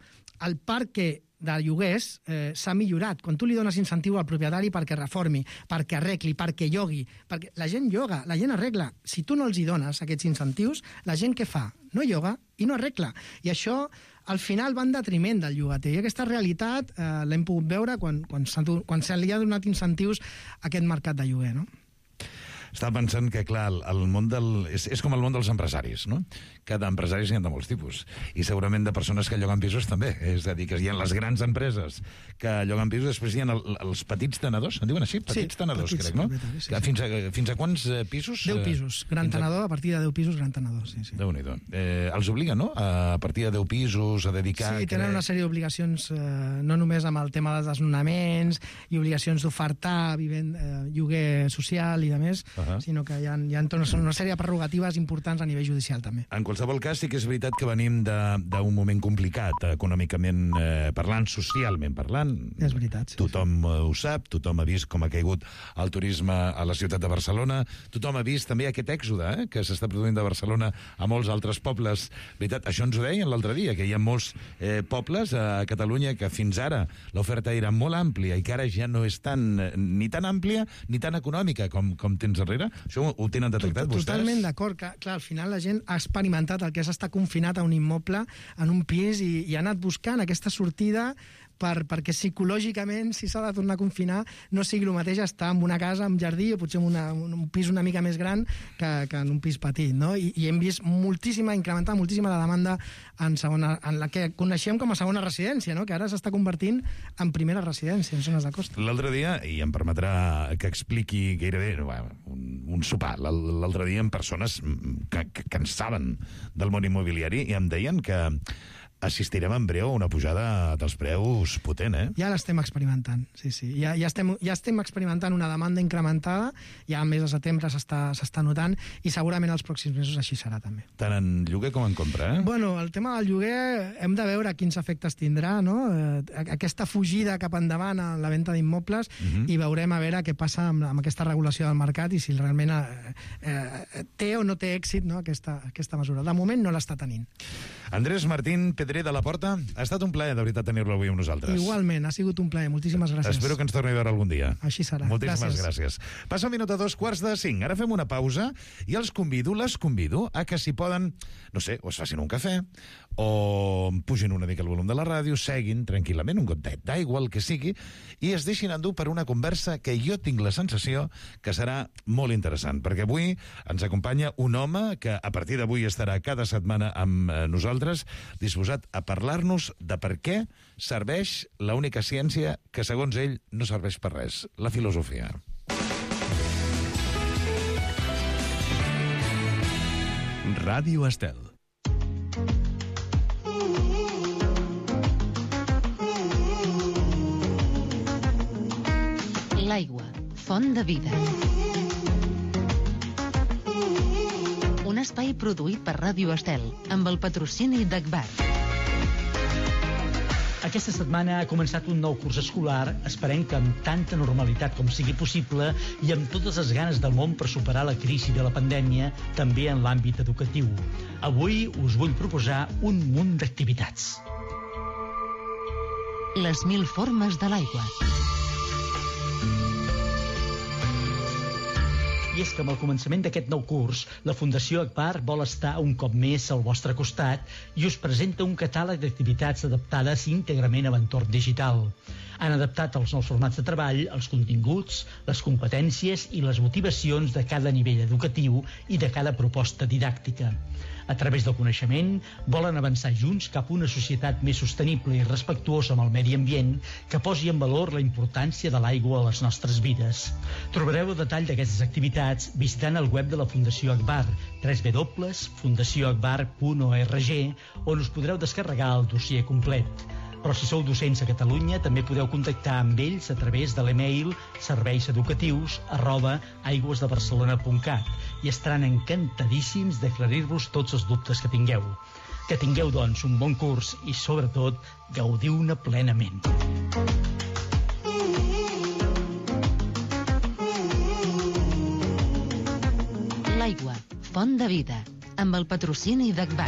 el parc de lloguers s'ha millorat. Quan tu li dones incentiu al propietari perquè reformi, perquè arregli, perquè llogui, perquè la gent lloga, la gent arregla. Si tu no els hi dones aquests incentius, la gent què fa? No lloga i no arregla. I això al final va en detriment del llogater. I aquesta realitat l'hem pogut veure quan se li ha donat incentius a aquest mercat de lloguer, no? Estava pensant que, clar, el món és com el món dels empresaris, no? Cada empresari n'hi ha de molts tipus. I segurament de persones que lloguen pisos també. És a dir, que hi ha les grans empreses que lloguen pisos, després hi ha els petits tenedors, en diuen així? Petits tenedors, crec, no? Sí. Fins a quants pisos? 10 pisos. Gran tenedor, a partir de 10 pisos, gran tenedor, sí. Déu-n'hi-do. Els obliguen, no? A partir de 10 pisos, a dedicar... Sí, tenen una sèrie d'obligacions, no només amb el tema dels desnonaments i obligacions d'ofertar lloguer social i de més, sinó que hi ha una sèrie de prerrogatives importants a nivell judicial, també. En qualsevol cas, sí que és veritat que venim d'un moment complicat, econòmicament parlant, socialment parlant. És veritat, sí. Tothom ho sap, tothom ha vist com ha caigut el turisme a la ciutat de Barcelona, tothom ha vist també aquest èxode que s'està produint de Barcelona a molts altres pobles. Veritat, això ens ho deien l'altre dia, que hi ha molts pobles a Catalunya que fins ara l'oferta era molt àmplia i que ara ja no és ni tan àmplia ni tan econòmica com tens darrere. Això ho tenen detectat vostès? Totalment d'acord. Clar, al final la gent ha experimentat el que és estar confinat a un immoble, en un pis, i ha anat buscant aquesta sortida perquè psicològicament, si s'ha de tornar a confinar, no sigui el mateix estar en una casa amb jardí o potser en un pis una mica més gran que en un pis petit, no? I hem vist incrementar moltíssima la demanda en la que coneixem com a segona residència, no? Que ara s'està convertint en primera residència en zones de costa. L'altre dia, i em permetrà que expliqui gairebé un sopar, l'altre dia amb persones que en saben del món immobiliari i em deien que assistirem en breu a una pujada dels preus potent, Ja l'estem experimentant, sí. Ja estem experimentant una demanda incrementada, ja al mes de setembre s'està notant, i segurament els pròxims mesos així serà també. Tant en lloguer com en compra, Bueno, el tema del lloguer hem de veure quins efectes tindrà, no? Aquesta fugida cap endavant a la venda d'immobles, i veurem a veure què passa amb aquesta regulació del mercat i si realment té o no té èxit, no, aquesta mesura. De moment no l'està tenint. Andrés Martín Pedrer de la Porta, ha estat un plaer, de veritat, tenir-lo avui amb nosaltres. Igualment, ha sigut un plaer. Moltíssimes gràcies. Espero que ens torni a veure algun dia. Així serà. Moltíssimes gràcies. Passa un minut a 2:45. Ara fem una pausa i les convido a que si poden, no sé, o es facin un cafè, o pugin una mica el volum de la ràdio, seguin tranquil·lament, un gotet d'aigua, el que sigui, i es deixin endur per una conversa que jo tinc la sensació que serà molt interessant, perquè avui ens acompanya un home que a partir d'avui estarà cada setmana amb nosaltres, disposat a parlar-nos de per què serveix l'única ciència que, segons ell, no serveix per res, la filosofia. Ràdio Estel. L'aigua, font de vida. Un espai produït per Ràdio Estel, amb el patrocini d'Agbar. Aquesta setmana ha començat un nou curs escolar, esperem que amb tanta normalitat com sigui possible i amb totes les ganes del món per superar la crisi de la pandèmia, també en l'àmbit educatiu. Avui us vull proposar un munt d'activitats. Les 1000 formes de l'aigua. I és que amb el començament d'aquest nou curs, la Fundació Agbar vol estar un cop més al vostre costat i us presenta un catàleg d'activitats adaptades íntegrament a l'entorn digital. Han adaptat els nous formats de treball, els continguts, les competències i les motivacions de cada nivell educatiu i de cada proposta didàctica. A través del coneixement, volen avançar junts cap a una societat més sostenible i respectuosa amb el medi ambient que posi en valor la importància de l'aigua a les nostres vides. Trobareu el detall d'aquestes activitats visitant el web de la Fundació Agbar, www.fundacioagbar.org, on us podreu descarregar el dossier complet. Però si sou docents a Catalunya, també podeu contactar amb ells a través de l'email serveiseducatius@aigüesdebarcelona.cat i estaran encantadíssims d'aclarir-vos tots els dubtes que tingueu. Que tingueu, doncs, un bon curs i, sobretot, gaudiu-ne plenament. L'aigua, font de vida, amb el patrocini d'Agbar.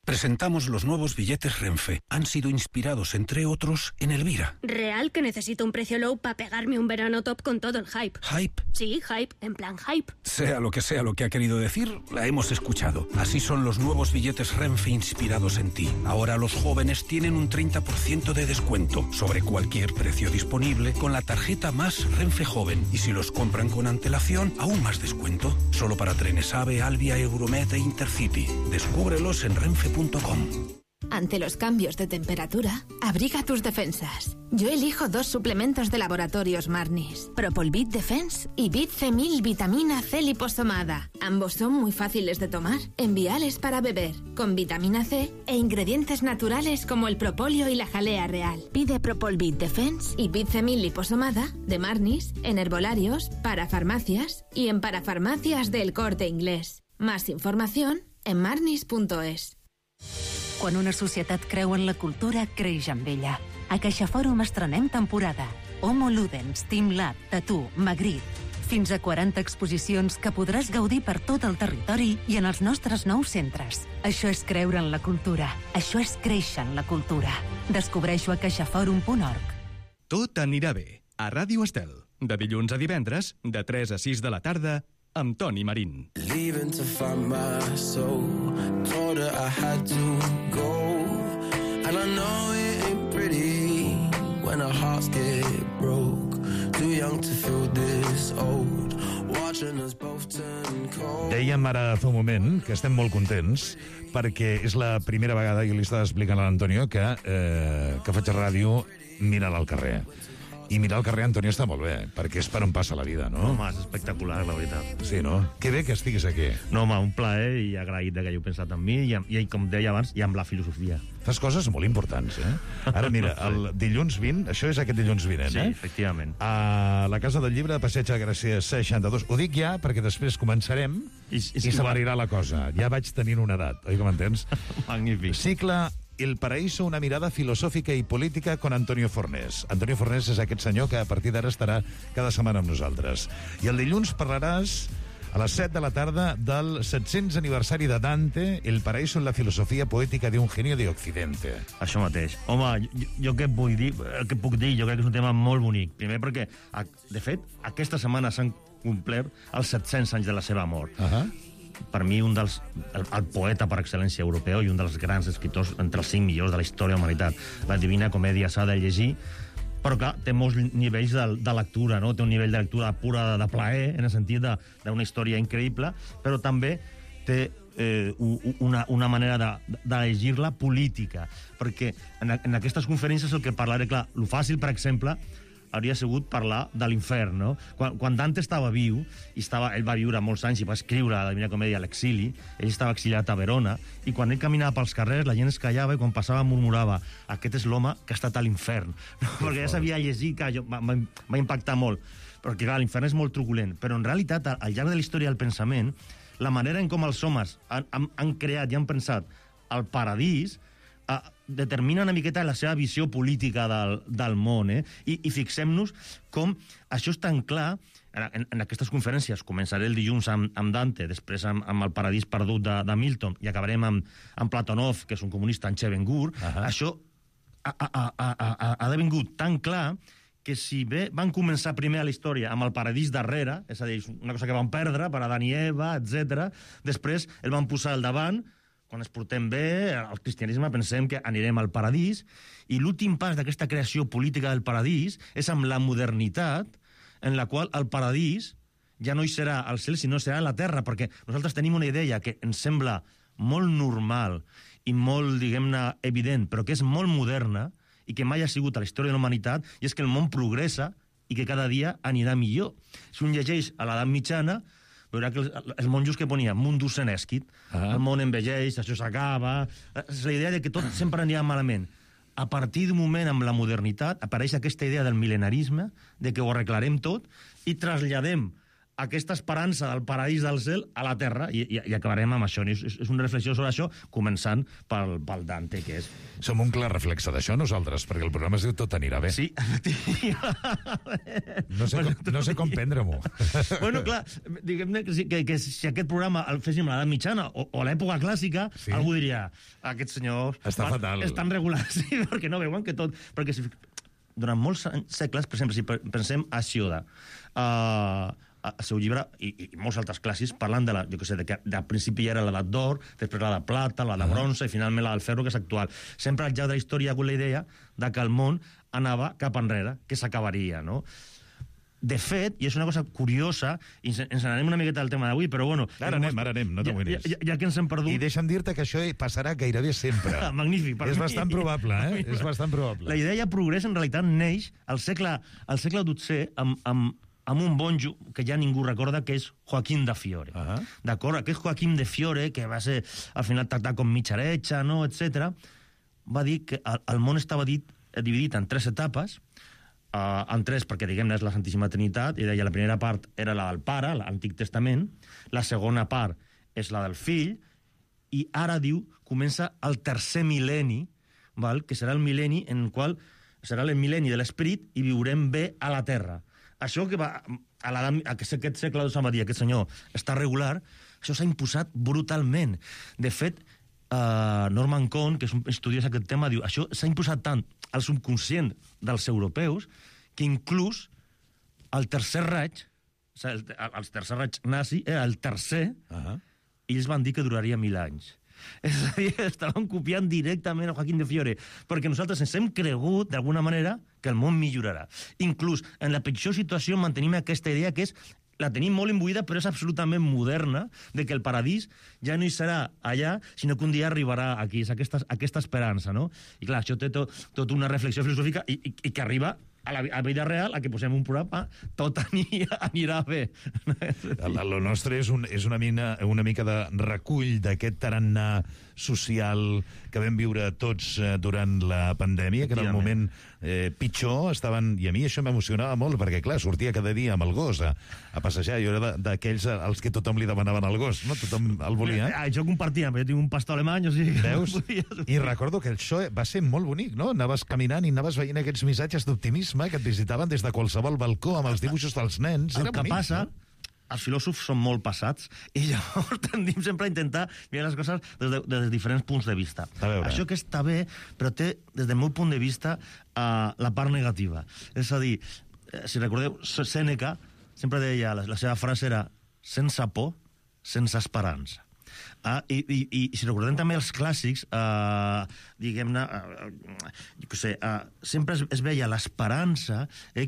Presentamos los nuevos billetes Renfe. Han sido inspirados, entre otros, en Elvira. ¿Real que necesito un precio low para pegarme un verano top con todo el hype? ¿Hype? Sí, hype, en plan hype. Sea lo que ha querido decir, la hemos escuchado. Así son los nuevos billetes Renfe inspirados en ti. Ahora los jóvenes tienen un 30% de descuento sobre cualquier precio disponible con la tarjeta Más Renfe Joven. Y si los compran con antelación, aún más descuento. Solo para trenes AVE, Alvia, Euromed e Intercity. Descúbrelos en renfe.com. Ante los cambios de temperatura, abriga tus defensas. Yo elijo 2 suplementos de Laboratorios Marnis, Propolvit Defense y Bit C1000 Vitamina C liposomada. Ambos son muy fáciles de tomar, enviales para beber, con vitamina C e ingredientes naturales como el propóleo y la jalea real. Pide Propolvit Defense y Bit C1000 liposomada de Marnis en herbolarios, parafarmacias y en parafarmacias del Corte Inglés. Más información en marnis.es. Quan una societat creu en la cultura, creix amb ella. A CaixaFòrum estrenem temporada. Homo Ludens, Team Lab, Tattoo, Magritte. Fins a 40 exposicions que podràs gaudir per tot el territori i en els nostres nous centres. Això és creure en la cultura. Això és créixer en la cultura. Descobreixo a caixaforum.org. Tot anirà bé. A Ràdio Estel. De dilluns a divendres, de 3 a 6 de la tarda, amb Toni Marín. Leaving to find my soul. Told her I had to go. And I know it ain't pretty when our hearts get broke. Too young to feel this old. Watching us both turn cold. Dèiem ara fa un moment que estem molt contents perquè és la primera vegada, i li estava explicant a l'Antonio, que faig ràdio mirant al carrer. I mirar al carrer, Antonio, està molt bé, perquè és per on passa la vida, no? Home, és espectacular, la veritat. Sí, no? Que bé que estiguis aquí. No, home, un plaer i agraït que hagi pensat en mi i com deia abans, i amb la filosofia. Fas coses molt importants, eh? Ara, mira, el dilluns 20, això és aquest dilluns vinent, sí, efectivament. A la Casa del Llibre de Passeig de Gràcia 62. Ho dic ja perquè després començarem i s'avarirà la cosa. Ja vaig tenint una edat, oi que m'entens? Magnífic. Cicle El Paraíso, una mirada filosòfica i política con Antonio Fornés. Antonio Fornés és aquest senyor que a partir d'ara estarà cada setmana amb nosaltres. I el dilluns parlaràs a les 7 de la tarda del 700 aniversari de Dante, El Paraíso en la filosofia poètica d'un genio de Occidente. Això mateix. Home, jo què puc dir? Jo crec que és un tema molt bonic. Primer perquè, de fet, aquesta setmana s'han complert els 700 anys de la seva mort. Per mi, el poeta per excel·lència europeu i un dels grans escriptors entre els 5 millors de la història de la humanitat. La Divina Comèdia s'ha de llegir, però clar, té molts nivells de lectura, no? Té un nivell de lectura pura de plaer, en el sentit d'una història increïble, però també té una manera de llegir-la política, perquè en aquestes conferències el que parlaré, clar, lo fàcil, per exemple, hauria sigut parlar de l'infern, no? Quan Dante estava viu, ell va viure molts anys i va escriure la Divina Comèdia a l'exili, ell estava exiliat a Verona, i quan ell caminava pels carrers, la gent es callava i quan passava murmurava: aquest és l'home que ha estat a l'infern. No? Perquè ja sabia llegir, que va impactar molt. Perquè, clar, l'infern és molt truculent. Però, en realitat, al llarg de la història del pensament, la manera en com els homes han creat i han pensat el paradís determina una miqueta la seva visió política del món, i fixem-nos com això és tan clar en aquestes conferències. Començaré el dilluns amb Dante, després amb el paradís perdut de Milton, i acabarem amb Platonov, que és un comunista, en Chevengur. Això ha devingut tan clar que si bé van començar primer a la història amb el paradís darrere, és a dir, una cosa que van perdre per Adán i Eva, etc., després el van posar al davant. Quan es portem bé, al cristianisme pensem que anirem al paradís, i l'últim pas d'aquesta creació política del paradís és amb la modernitat, en la qual el paradís ja no hi serà al cel, sinó serà a la terra, perquè nosaltres tenim una idea que ens sembla molt normal i molt, diguem-ne, evident, però que és molt moderna i que mai ha sigut a la història de la humanitat, i és que el món progressa i que cada dia anirà millor. Si un llegeix a l'edat mitjana, veurà que els monjos que ponia mundus senescit, el món envelleix, això s'acaba. És la idea de que tot sempre anirà malament. A partir d'un moment, amb la modernitat, apareix aquesta idea del mil·lenarisme, de que ho arreglarem tot, i traslladem aquesta esperança del paradís del cel a la terra, i acabarem amb això. És una reflexió sobre això, començant pel Dante, que és... Som un clar reflexe d'això, nosaltres, perquè el programa es diu Tot anirà bé. Sí, no sé com prendre-m'ho. Bueno, clar, diguem-ne que si aquest programa el féssim a l'edat mitjana o a l'època clàssica, algú diria, aquest senyor... Està fatal. Estan regulars, sí, perquè no veuen que tot... Perquè durant molts segles, per exemple, si pensem a Sioda, el seu llibre, i molts altres clàssics, parlant de al principi ja era l'edat d'or, després la de plata, la de bronze, i finalment la del ferro, que és actual. Sempre al llarg de la història hi ha hagut la idea que el món anava cap enrere, que s'acabaria, no? De fet, i és una cosa curiosa, i ens n'anem una miqueta del tema d'avui, però bueno... Ara anem, no t'amoïnis. Ja que ens hem perdut... I deixa'm dir-te que això passarà gairebé sempre. Magnífic, per mi. És bastant probable, És bastant probable. La idea ja progrés, en realitat, neix al segle XII amb un monjo que ja ningú recorda, que és Joaquim de Fiore. D'acord? Aquest Joaquim de Fiore, que va ser al final tractat com mitja heretge, no? etc., va dir que el món estava dividit en 3 etapes, en 3 perquè, diguem-ne, és la Santíssima Trinitat, i deia la primera part era la del Pare, l'Antic Testament, la segona part és la del Fill, i ara, diu, comença el 3è mil·lenni, que serà el mil·lenni en el qual serà el mil·lenni de l'Esperit i viurem bé a la Terra. Això que va aquest segle II va dir aquest senyor està regular, això s'ha imposat brutalment. De fet, Norman Cohn, que és un estudiós d'aquest tema, diu això s'ha imposat tant al subconscient dels europeus que inclús el Tercer Reich, el Tercer Reich nazi era el tercer, i ells van dir que duraria 1000 anys. És a dir, estaven copiant directament a Joaquim de Fiore, perquè nosaltres ens hem cregut, d'alguna manera, que el món millorarà. Inclús, en la pitjor situació mantenim aquesta idea que és, la tenim molt imbuïda, però és absolutament moderna, de que el paradís ja no hi serà allà, sinó que un dia arribarà aquí. És aquesta esperança, no? I clar, això té tot una reflexió filosòfica i que arriba a la vida real, a que posem un programa, tot anirà bé. Lo nostre és una mica de recull d'aquest tarannà social que vam viure tots durant la pandèmia, que en el moment pitjor estaven... I a mi això m'emocionava molt, perquè, clar, sortia cada dia amb el gos a passejar. Jo era d'aquells als que tothom li demanaven el gos, no? Tothom el volia. Jo compartia, però jo tinc un pastor alemany, o sigui... Veus? I recordo que això va ser molt bonic, no? Anaves caminant i anaves veient aquests missatges d'optimisme que et visitaven des de qualsevol balcó amb els dibuixos dels nens. El que passa, els filòsofs són molt passats i llavors tendim sempre a intentar mirar les coses des de diferents punts de vista. Això que està bé, però té, des del meu punt de vista, la part negativa. És a dir, si recordeu, Sèneca sempre deia, la seva frase era sense por, sense esperança. I si recordem també els clàssics, diguem-ne, sempre es veia l'esperança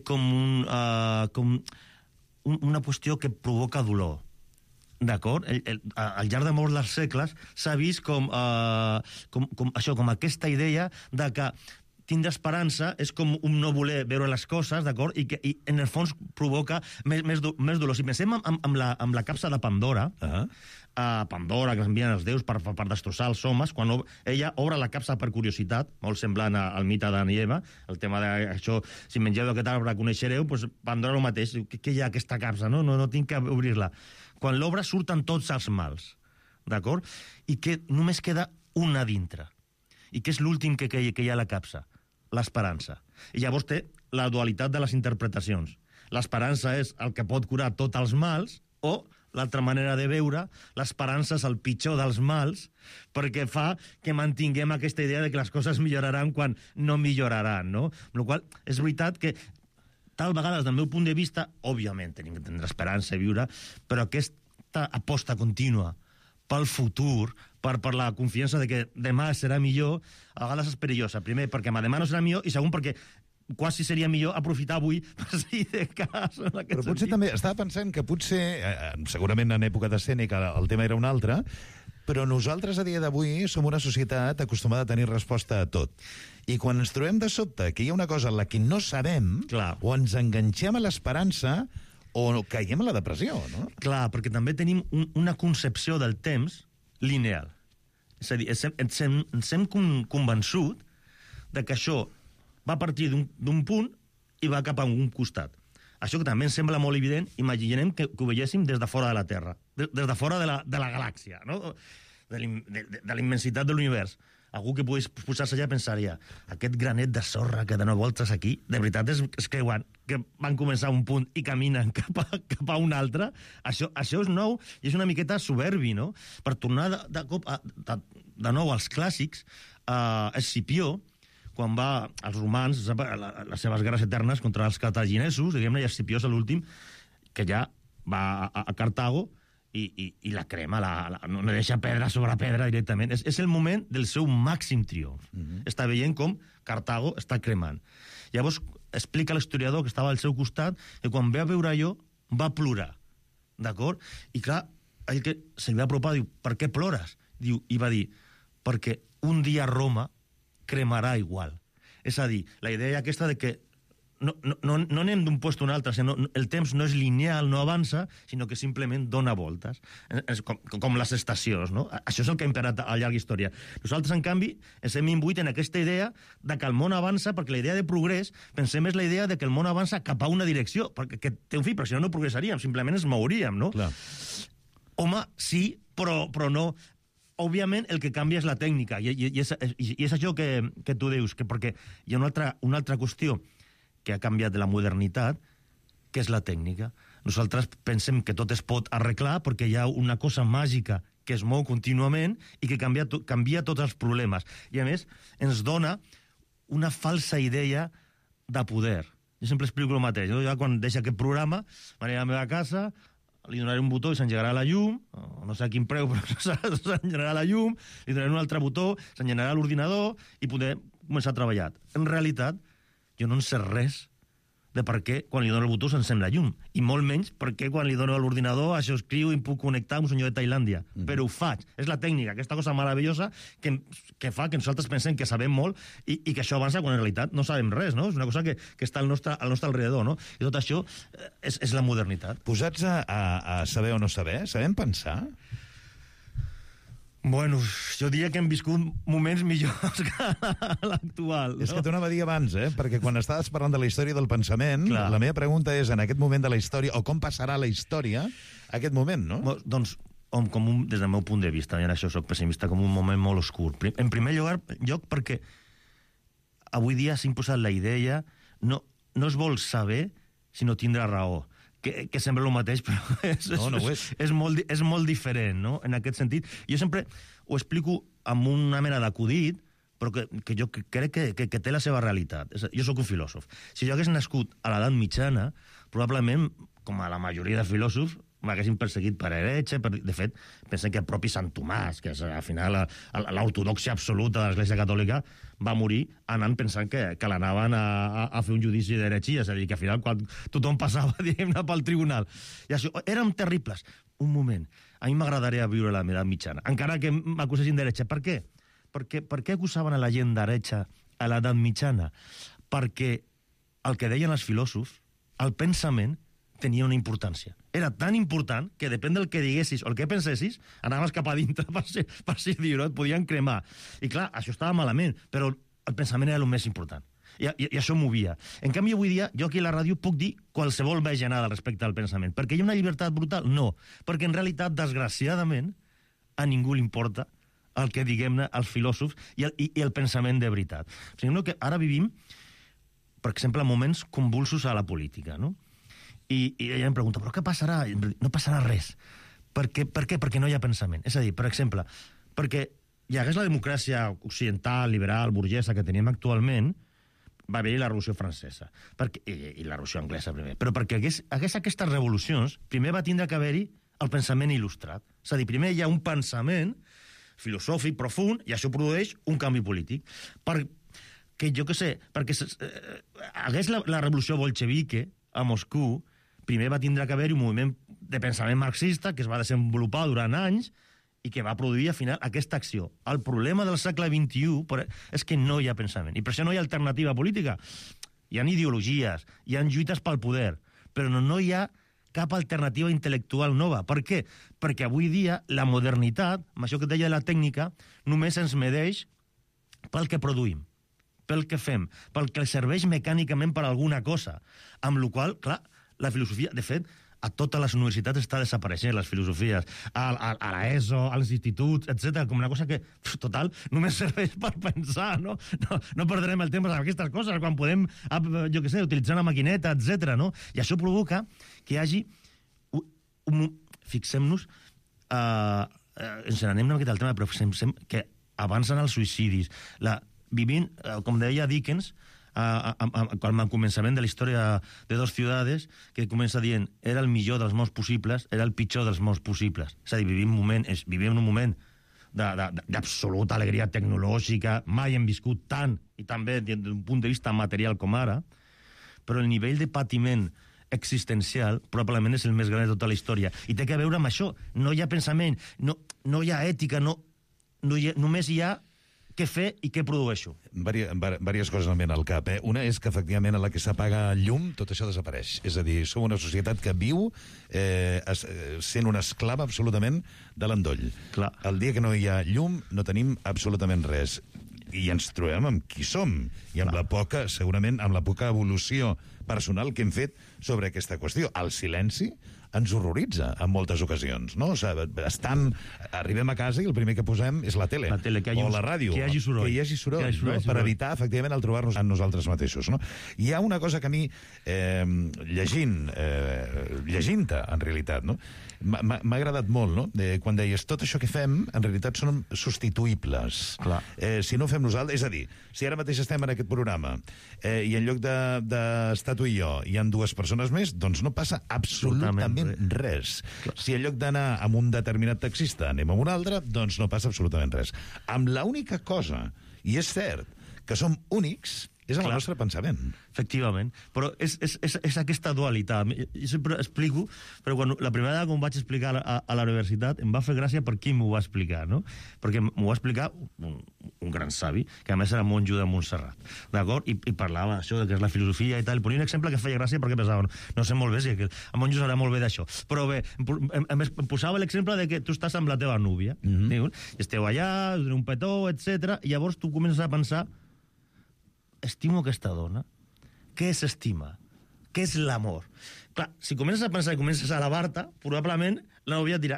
com una qüestió que provoca dolor. D'acord? Al llarg de molts dels segles s'ha vist com aquesta idea de que tindre esperança és com un no voler veure les coses, d'acord? I en el fons provoca més dolor. Si pensem amb la capsa de Pandora, Pandora, que ens envien els déus per destrossar els homes, quan ella obre la capsa per curiositat, molt semblant al mite d'Adam i Eva, el tema d'això, si mengeu d'aquest arbre coneixereu, doncs Pandora el mateix, què hi ha aquesta capsa, no tinc que obrir-la. Quan l'obre surten tots els mals, d'acord? I que només queda una dintre. I que és l'últim que hi ha a la capsa, l'esperança. I llavors té la dualitat de les interpretacions. L'esperança és el que pot curar tots els mals, o l'altra manera de veure, l'esperança és el pitjor dels mals, perquè fa que mantinguem aquesta idea de que les coses milloraran quan no milloraran, no? Amb la qual cosa, és veritat que tal vegada, des del meu punt de vista, òbviament tenim que tindre esperança i viure, però aquesta aposta contínua pel futur, per la confiança de que demà serà millor, a vegades és perillosa. Primer, perquè demà no serà millor, i segon, perquè quasi seria millor aprofitar avui per si de cas. Però potser també, estava pensant que potser, segurament en època de Sèneca el tema era un altre, però nosaltres a dia d'avui som una societat acostumada a tenir resposta a tot. I quan ens trobem de sobte que hi ha una cosa en la que no sabem, o ens enganxem a l'esperança, o caiem a la depressió, no? Clar, perquè també tenim una concepció del temps lineal. És a dir, ens hem convençut de que això va partir d'un punt i va cap a un costat. això que també ens sembla molt evident, imaginem que ho veiéssim des de fora de la Terra, des de fora de la galàxia, no? De la immensitat de l'univers. Algú que pogués posar-se allà pensaria, aquest granet de sorra que dona voltes aquí, de veritat es creuen que van començar a un punt i caminen cap a un altre? Això és nou i és una miqueta soberbi, no? Per tornar de nou als clàssics, Escipió, quan va als romans, les seves guerres eternes contra els cartaginesos, diguem-ne, i Escipió és l'últim, que ja va a Cartago i la crema, no deixa pedra sobre pedra directament. És el moment del seu màxim triomf. Està veient com Cartago està cremant. Llavors explica l'historiador que estava al seu costat que quan ve a veure allò va plorar, d'acord? I clar, ell que se li va apropar diu, per què plores? Diu, i va dir, perquè un dia Roma cremarà igual. És a dir, la idea aquesta de que no anem d'un lloc a un altre, el temps no és lineal, no avança, sinó que simplement dona voltes, com les estacions, no? Això és el que ha imperat a llarga història. Nosaltres, en canvi, ens hem imbuït en aquesta idea de que el món avança, perquè la idea de progrés, pensem és la idea de que el món avança cap a una direcció, perquè té un fi, però si no progressaríem, simplement ens mouríem, no? Clar. Home, sí, però no. Òbviament, el que canvia és la tècnica, i és això que tu dius, perquè hi ha una altra qüestió que ha canviat de la modernitat, que és la tècnica. Nosaltres pensem que tot es pot arreglar perquè hi ha una cosa màgica que es mou contínuament i que canvia tots els problemes. I, a més, ens dona una falsa idea de poder. Jo sempre explico el mateix. Jo quan deixo aquest programa, m'aniré a la meva casa, li donaré un botó i s'engegarà la llum, no sé a quin preu, però s'engegarà la llum, li donaré un altre botó, s'engegarà l'ordinador i poder començar a treballar. En realitat, jo no en sé res de per què quan li dono el botó s'encén la llum, i molt menys per què quan li dono a l'ordinador això escriu i puc connectar amb un senyor de Tailàndia. Però ho faig. És la tècnica, aquesta cosa meravellosa que fa que nosaltres pensem que sabem molt i que això avança quan en realitat no sabem res, no? És una cosa que està al nostre alrededor, no? I tot això és la modernitat. Posats a saber o no saber, sabem pensar? Bueno, jo diria que hem viscut moments millors que l'actual. És que t'ho anava a dir abans, perquè quan estaves parlant de la història del pensament, la meva pregunta és, en aquest moment de la història, o com passarà la història, aquest moment, no? Doncs, des del meu punt de vista, i en això soc pessimista, com un moment molt oscur. En primer lloc, perquè avui dia s'ha imposat la idea, no es vol saber, sinó tindre raó. Que sembla el mateix, però és molt diferent, no?, en aquest sentit. Jo sempre ho explico amb una mena d'acudit, però que jo crec que té la seva realitat. Jo sóc un filòsof. Si jo hagués nascut a l'edat mitjana, probablement, com a la majoria de filòsofs, m'haguessin perseguit per heretge. De fet, pensen que el propi Sant Tomàs, que és al final l'ortodoxia absoluta de l'Església Catòlica, va morir anant pensant que l'anaven a fer un judici d'heretgia, és a dir, que al final quan tothom passava, diguem-ne, pel tribunal. I això, érem terribles. Un moment, a mi m'agradaria viure la meva mitjana, encara que m'acusessin d'heretge. Per què? Per què acusaven a la gent d'heretge a l'edat mitjana? Perquè el que deien els filòsofs, el pensament, tenia una importància. Era tan important que depèn del que diguessis o el que pensessis, anaves cap a dintre per si dir-ho, et podien cremar. I clar, això estava malament, però el pensament era el més important. I això movia. En canvi, avui dia, jo aquí a la ràdio puc dir qualsevol bajanada respecte al pensament. Perquè hi ha una llibertat brutal? No. Perquè en realitat, desgraciadament, a ningú li importa el que diguem-ne els filòsofs i el pensament de veritat. O sigui, que ara vivim, per exemple, moments convulsos a la política, no? I ella em pregunta, però què passarà? No passarà res. Per què? Perquè no hi ha pensament. És a dir, per exemple, perquè hi hagués la democràcia occidental, liberal, burgesa que tenim actualment, va haver-hi la Revolució Francesa i la Revolució Anglesa primer. Però perquè hagués aquestes revolucions, primer va tindre que haver-hi el pensament il·lustrat. És a dir, primer hi ha un pensament filosòfic profund i això produeix un canvi polític. Perquè, jo què sé, perquè hagués la revolució bolxevique a Moscou, primer va tindre que haver-hi un moviment de pensament marxista que es va desenvolupar durant anys i que va produir, al final, aquesta acció. El problema del segle XXI és que no hi ha pensament, i per això no hi ha alternativa política. Hi ha ideologies, hi ha lluites pel poder, però no hi ha cap alternativa intel·lectual nova. Per què? Perquè avui dia la modernitat, amb això que et deia de la tècnica, només ens medeix pel que produïm, pel que fem, pel que serveix mecànicament per alguna cosa. Amb la qual cosa, clar, la filosofia, de fet, a totes les universitats està desapareixent, les filosofies, a l'ESO, als instituts, etc, com una cosa que, total, només serveix per pensar, no? No perdrem el temps amb aquestes coses, quan podem, jo què sé, utilitzar una maquineta, etc, no? I això provoca que hi hagi... Fixem-nos, ens n'anem una miqueta al tema, però fixem que avancen els suïcidis. Vivint, com deia Dickens, al començament de la història de Dos ciudades, que comença dient era el millor dels mons possibles, era el pitjor dels mons possibles. És a dir, vivim en un moment d'absoluta alegria tecnològica, mai hem viscut tant, i també des d'un punt de vista material com ara, però el nivell de patiment existencial probablement és el més gran de tota la història. I té que veure amb això. No hi ha pensament, no hi ha ètica, només hi ha què fer i què produeixo. Vàries coses em venen al cap. Una és que, efectivament, a la que s'apaga el llum, tot això desapareix. És a dir, som una societat que viu sent una esclava absolutament de l'endoll. Clar. El dia que no hi ha llum, no tenim absolutament res. I ens trobem amb qui som. I amb la poca, segurament, amb la poca evolució personal que hem fet sobre aquesta qüestió. El silenci ens horroritza en moltes ocasions, no? O sigui, arribem a casa i el primer que posem és la tele o la ràdio. Que hi hagi soroll. Que hi hagi soroll, no? Per evitar, efectivament, el trobar-nos en nosaltres mateixos, no? Hi ha una cosa que a mi, llegint-te, en realitat, no? M'ha agradat molt, no? Quan deies, tot això que fem, en realitat, són substituïbles. Si no fem nosaltres... És a dir, si ara mateix estem en aquest programa i en lloc d'estar tu i jo hi ha dues persones més, doncs no passa absolutament res. Si en lloc d'anar amb un determinat taxista anem amb un altre, doncs no passa absolutament res. Amb l'única cosa, i és cert, que som únics, és el nostre pensament. Efectivament. Però és aquesta dualitat. Jo sempre explico, però la primera vegada que em vaig explicar a la universitat em va fer gràcia per qui m'ho va explicar, no? Perquè m'ho va explicar un gran savi, que a més era monjo de Montserrat, d'acord? I parlava d'això, que és la filosofia i tal. Ponia un exemple que feia gràcia perquè pensava, no sé molt bé si a monjo sabrà molt bé d'això. Però bé, em posava l'exemple de que tu estàs amb la teva núvia, i esteu allà, un petó, etc. I llavors tu comences a pensar, estimo aquesta dona? Què s'estima? Què és l'amor? Clar, si comences a pensar i comences a alabar-te, probablement la nòvia et dirà,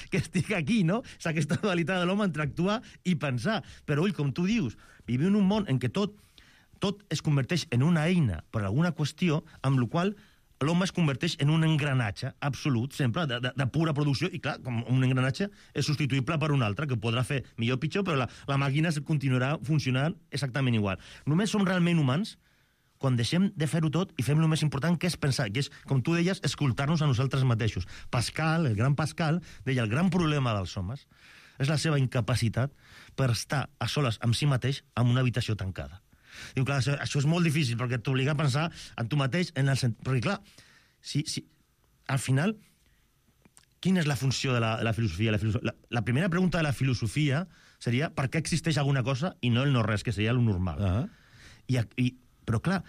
que estic aquí, no? És aquesta dualitat de l'home entre actuar i pensar. Però, ull, com tu dius, vivim en un món en què tot es converteix en una eina per alguna qüestió, amb la qual l'home es converteix en un engranatge absolut, sempre, de pura producció, i clar, com un engranatge és substituïble per un altre, que podrà fer millor o pitjor, però la màquina continuarà funcionant exactament igual. Només som realment humans quan deixem de fer-ho tot i fem el més important, que és pensar, que és, com tu deies, escoltar-nos a nosaltres mateixos. Pascal, el gran Pascal, deia, el gran problema dels homes és la seva incapacitat per estar a soles amb si mateix en una habitació tancada. Diu, clar, això és molt difícil, perquè t'obliga a pensar en tu mateix, perquè, clar, al final, quina és la funció de la filosofia? La primera pregunta de la filosofia seria per què existeix alguna cosa i no el no-res, que seria el normal. Però, clar,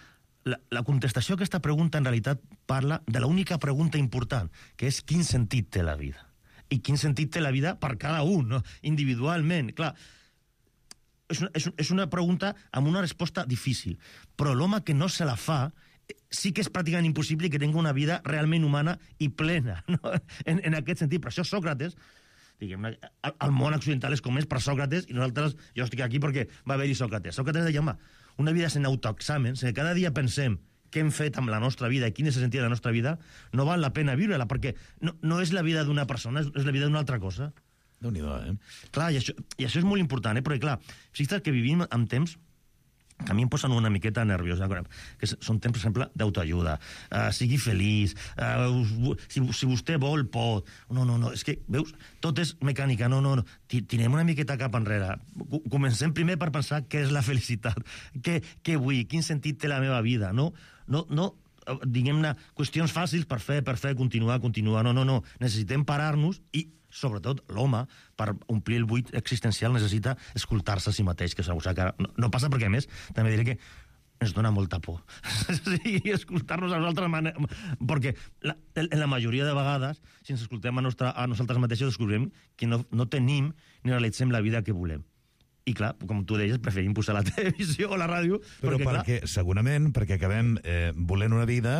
la contestació a aquesta pregunta, en realitat, parla de l'única pregunta important, que és quin sentit té la vida. I quin sentit té la vida per cada un, no? Individualment. Clar, és una pregunta amb una resposta difícil, però l'home que no se la fa sí que és pràcticament impossible que tingui una vida realment humana i plena, no? En aquest sentit. Per això Sòcrates, diguem-ne, el món occidental és com és per Sòcrates, i nosaltres, jo estic aquí perquè va haver-hi Sòcrates. Sòcrates deia, home, una vida sense autoexàmens, que cada dia pensem què hem fet amb la nostra vida i quin és el sentit de la nostra vida, no val la pena viure-la, perquè no és la vida d'una persona, és la vida d'una altra cosa. Déu-n'hi-do, Clar, i això és molt important, perquè, clar, fixa't que vivim en temps que a mi em posen una miqueta nerviosa, que són temps, per exemple, d'autoajuda. Sigui feliç, si vostè vol, pot. No, és que, veus, tot és mecànica, no. Tirem una miqueta cap enrere. Comencem primer per pensar què és la felicitat, què vull, quin sentit té la meva vida, no, diguem-ne, qüestions fàcils per fer, continuar. No. Necessitem parar-nos i, sobretot, l'home, per omplir el buit existencial, necessita escoltar-se a si mateix, que segur que no passa perquè, a més, també diré que ens dona molta por. Sí, escoltar-nos a nosaltres, perquè en la majoria de vegades, si ens escoltem a nosaltres mateixos, descobrirem que no tenim ni realitzem la vida que volem. I clar, com tu deies, preferim posar la televisió o la ràdio... Però segurament perquè acabem volent una vida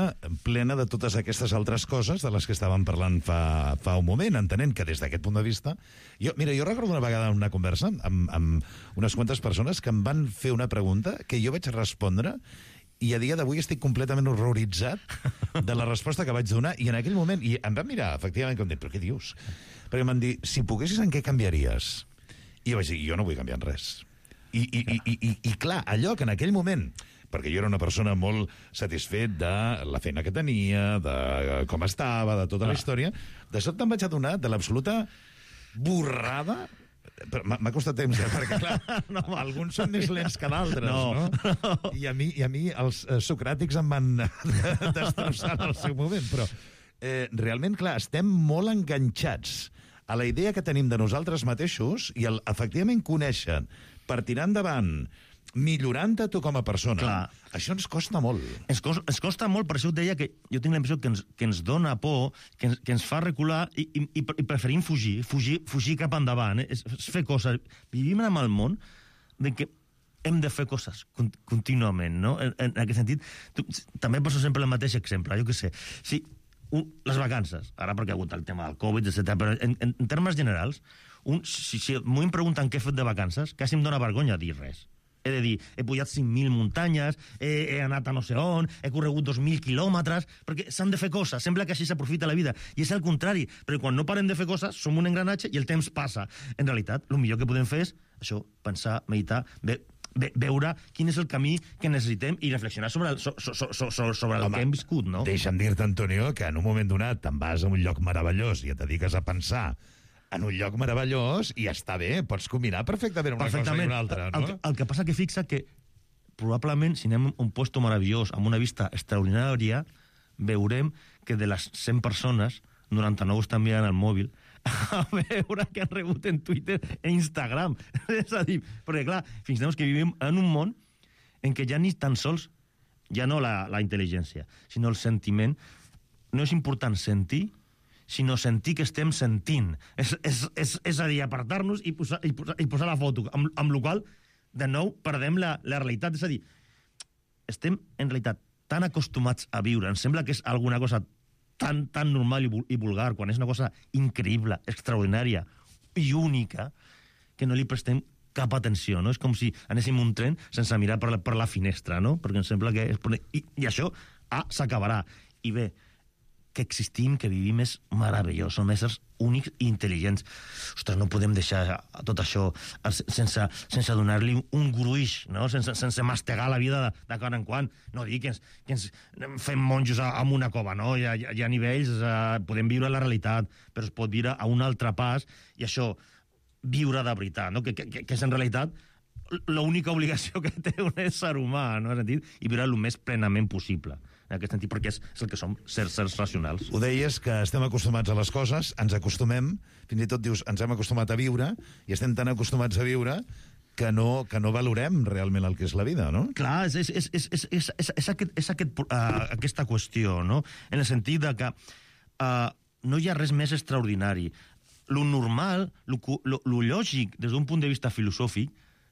plena de totes aquestes altres coses de les que estàvem parlant fa un moment, entenent que des d'aquest punt de vista... Jo recordo una vegada una conversa amb unes quantes persones que em van fer una pregunta que jo vaig respondre i a dia d'avui estic completament horroritzat de la resposta que vaig donar, i en aquell moment i em van mirar, efectivament, com dir, però què dius? Perquè em van dir, si poguessis, en què canviaries? I jo vaig dir, jo no vull canviar en res. I clar, allò que en aquell moment, perquè jo era una persona molt satisfet de la feina que tenia, de com estava, de tota la història, de sobte em vaig adonar de l'absoluta borrada. M'ha costat temps, perquè clar, alguns són més lents que d'altres, no? I a mi els socràtics em van destrossar en el seu moment, però realment, clar, estem molt enganxats a la idea que tenim de nosaltres mateixos i efectivament conèixer per tirar endavant, millorant-te tu com a persona. Clar. Això ens costa molt. Ens costa molt, per això et deia que jo tinc la impressió que ens dona por, que ens fa recular i preferim fugir cap endavant, és fer coses. Vivim en el món de que hem de fer coses contínuament, no? En aquest sentit, també poso sempre el mateix exemple, jo què sé. Sí, les vacances, ara perquè ha hagut el tema del Covid, etc. Però en termes generals, si m'ho em pregunten què he fet de vacances, quasi em dóna vergonya dir res. He de dir, he pujat 5.000 muntanyes, he anat a no sé on, he corregut 2.000 quilòmetres, perquè s'han de fer coses, sembla que així s'aprofita la vida. I és el contrari, perquè quan no parem de fer coses, som un engranatge i el temps passa. En realitat, el millor que podem fer és això, pensar, meditar, veure quin és el camí que necessitem i reflexionar sobre el que hem viscut, no? Deixa'm dir-te, Antonio, que en un moment donat te'n vas a un lloc meravellós i et dediques a pensar en un lloc meravellós i està bé, pots combinar perfectament una cosa i una altra, no? El que passa que fixa que probablement si anem a un puesto meravellós amb una vista extraordinària, veurem que de les 100 persones, 99 estan mirant el mòbil a veure que han rebut en Twitter i Instagram. És a dir, perquè clar, fins que vivim en un món en què ja ni tan sols, ja no la intel·ligència, sinó el sentiment. No és important sentir, sinó sentir que estem sentint. És a dir, apartar-nos i posar la foto, amb la qual, de nou, perdem la realitat. És a dir, estem, en realitat, tan acostumats a viure, ens sembla que és alguna cosa tan normal i vulgar, quan és una cosa increïble, extraordinària i única, que no li prestem cap atenció, no? És com si anéssim un tren sense mirar per la finestra, no? Perquè em sembla que... I això s'acabarà. I bé, que existim, que vivim, és meravellós. Som éssers únics i intel·ligents. Ostres, no podem deixar tot això sense donar-li un gruix, no? Sense mastegar la vida de quan en quan. No dir que ens fem monjos en una cova, no? Hi ha nivells, podem viure la realitat, però es pot viure a un altre pas, i això, viure de veritat, no? Que és en realitat l'única obligació que té un ésser humà, no? I viure el més plenament possible, en aquest sentit, perquè és el que som, sers racionals. Ho deies, que estem acostumats a les coses, ens acostumem, fins i tot dius, ens hem acostumat a viure, i estem tan acostumats a viure que no valorem realment el que és la vida, no? Clar, és aquesta qüestió, no? En el sentit de que no hi ha res més extraordinari. Lo normal, lo lògic, des d'un punt de vista filosòfic,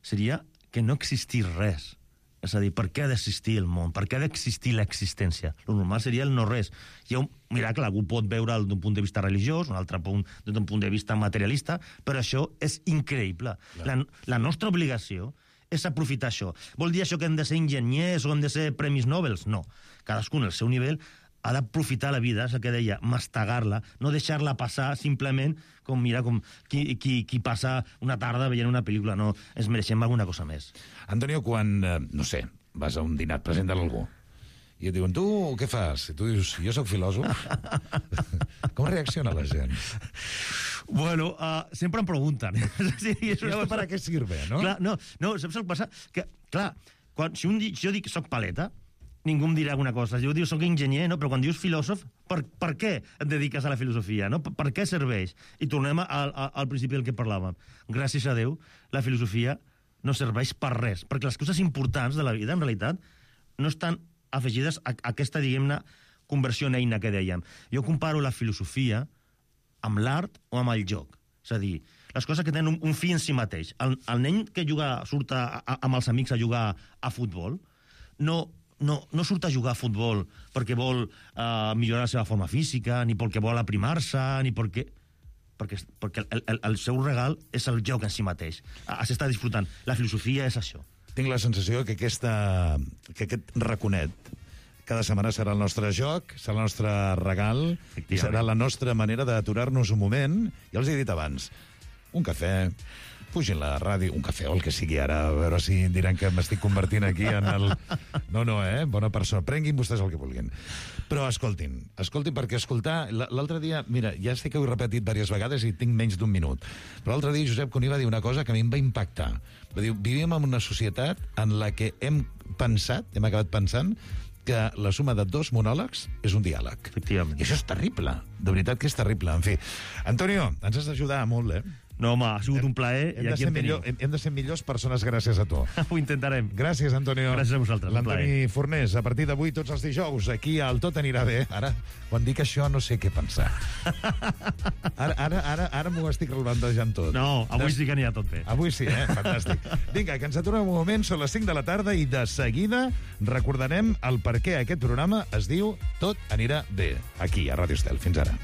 seria que no existís res. És a dir, per què ha d'existir el món? Per què ha d'existir l'existència? Lo normal seria el no-res. Hi ha un miracle, algú pot veure'l d'un punt de vista religiós, un altre d'un punt de vista materialista, però això és increïble. La nostra obligació és aprofitar això. Vol dir això que hem de ser enginyers o hem de ser premis Nobel? No. Cadascun al seu nivell ha d'aprofitar la vida, és el que deia, mastegar-la, no deixar-la passar simplement com qui passa una tarda veient una pel·lícula. No, ens mereixem alguna cosa més. Antonio, quan, no sé, vas a un dinar, presenta algú, i et diuen, tu què fas? I tu dius, jo sóc filòsof. Com reacciona la gent? Bueno, sempre em pregunten. ¿Esto para qué sirve, no? Clar, no, saps el que passa? Que, clar, si jo dic soc paleta, ningú em dirà alguna cosa. Jo diu, soc enginyer, no? Però quan dius filòsof, per què et dediques a la filosofia? No? Per què serveix? I tornem al principi del que parlàvem. Gràcies a Déu, la filosofia no serveix per res, perquè les coses importants de la vida, en realitat, no estan afegides a aquesta, diguem-ne, conversió en eina que dèiem. Jo comparo la filosofia amb l'art o amb el joc. És a dir, les coses que tenen un fi en si mateix. El nen que surt amb els amics a jugar a futbol no surt a jugar a futbol perquè vol millorar la seva forma física, ni perquè vol aprimar-se, ni perquè el seu regal és el joc en si mateix. S'està disfrutant. La filosofia és això. Tinc la sensació que aquest raconet cada setmana serà el nostre joc, serà el nostre regal, i serà la nostra manera d'aturar-nos un moment. Ja els he dit abans, un cafè, pugin la ràdio, un cafè o el que sigui ara, a veure si diran que m'estic convertint aquí en el... No, bona persona. Prenguin vostès el que vulguin. Però escoltin, perquè escoltar... L'altre dia, mira, ja sé que ho he repetit diverses vegades i tinc menys d'un minut, però l'altre dia Josep Cuní va dir una cosa que a mi em va impactar. Va dir, vivim en una societat en la que hem acabat pensant que la suma de 2 monòlegs és un diàleg. Efectivament. I això és terrible, de veritat que és terrible. En fi, Antonio, ens has d'ajudar molt, eh? No, home, ha sigut un plaer i aquí em teniu. Hem de ser millors persones gràcies a tu. Ho intentarem. Gràcies, Antonio. Gràcies a vosaltres, un plaer. L'Antoni Fornés, a partir d'avui, tots els dijous, aquí al Tot Anirà Bé. Ara, quan dic això, no sé què pensar. Ara m'ho estic relevantejant tot. No, avui sí que anirà tot bé. Avui sí, fantàstic. Vinga, que ens aturem un moment, són les 5 de la tarda i de seguida recordarem el per què aquest programa es diu Tot Anirà Bé, aquí, a Ràdio Estel. Fins ara.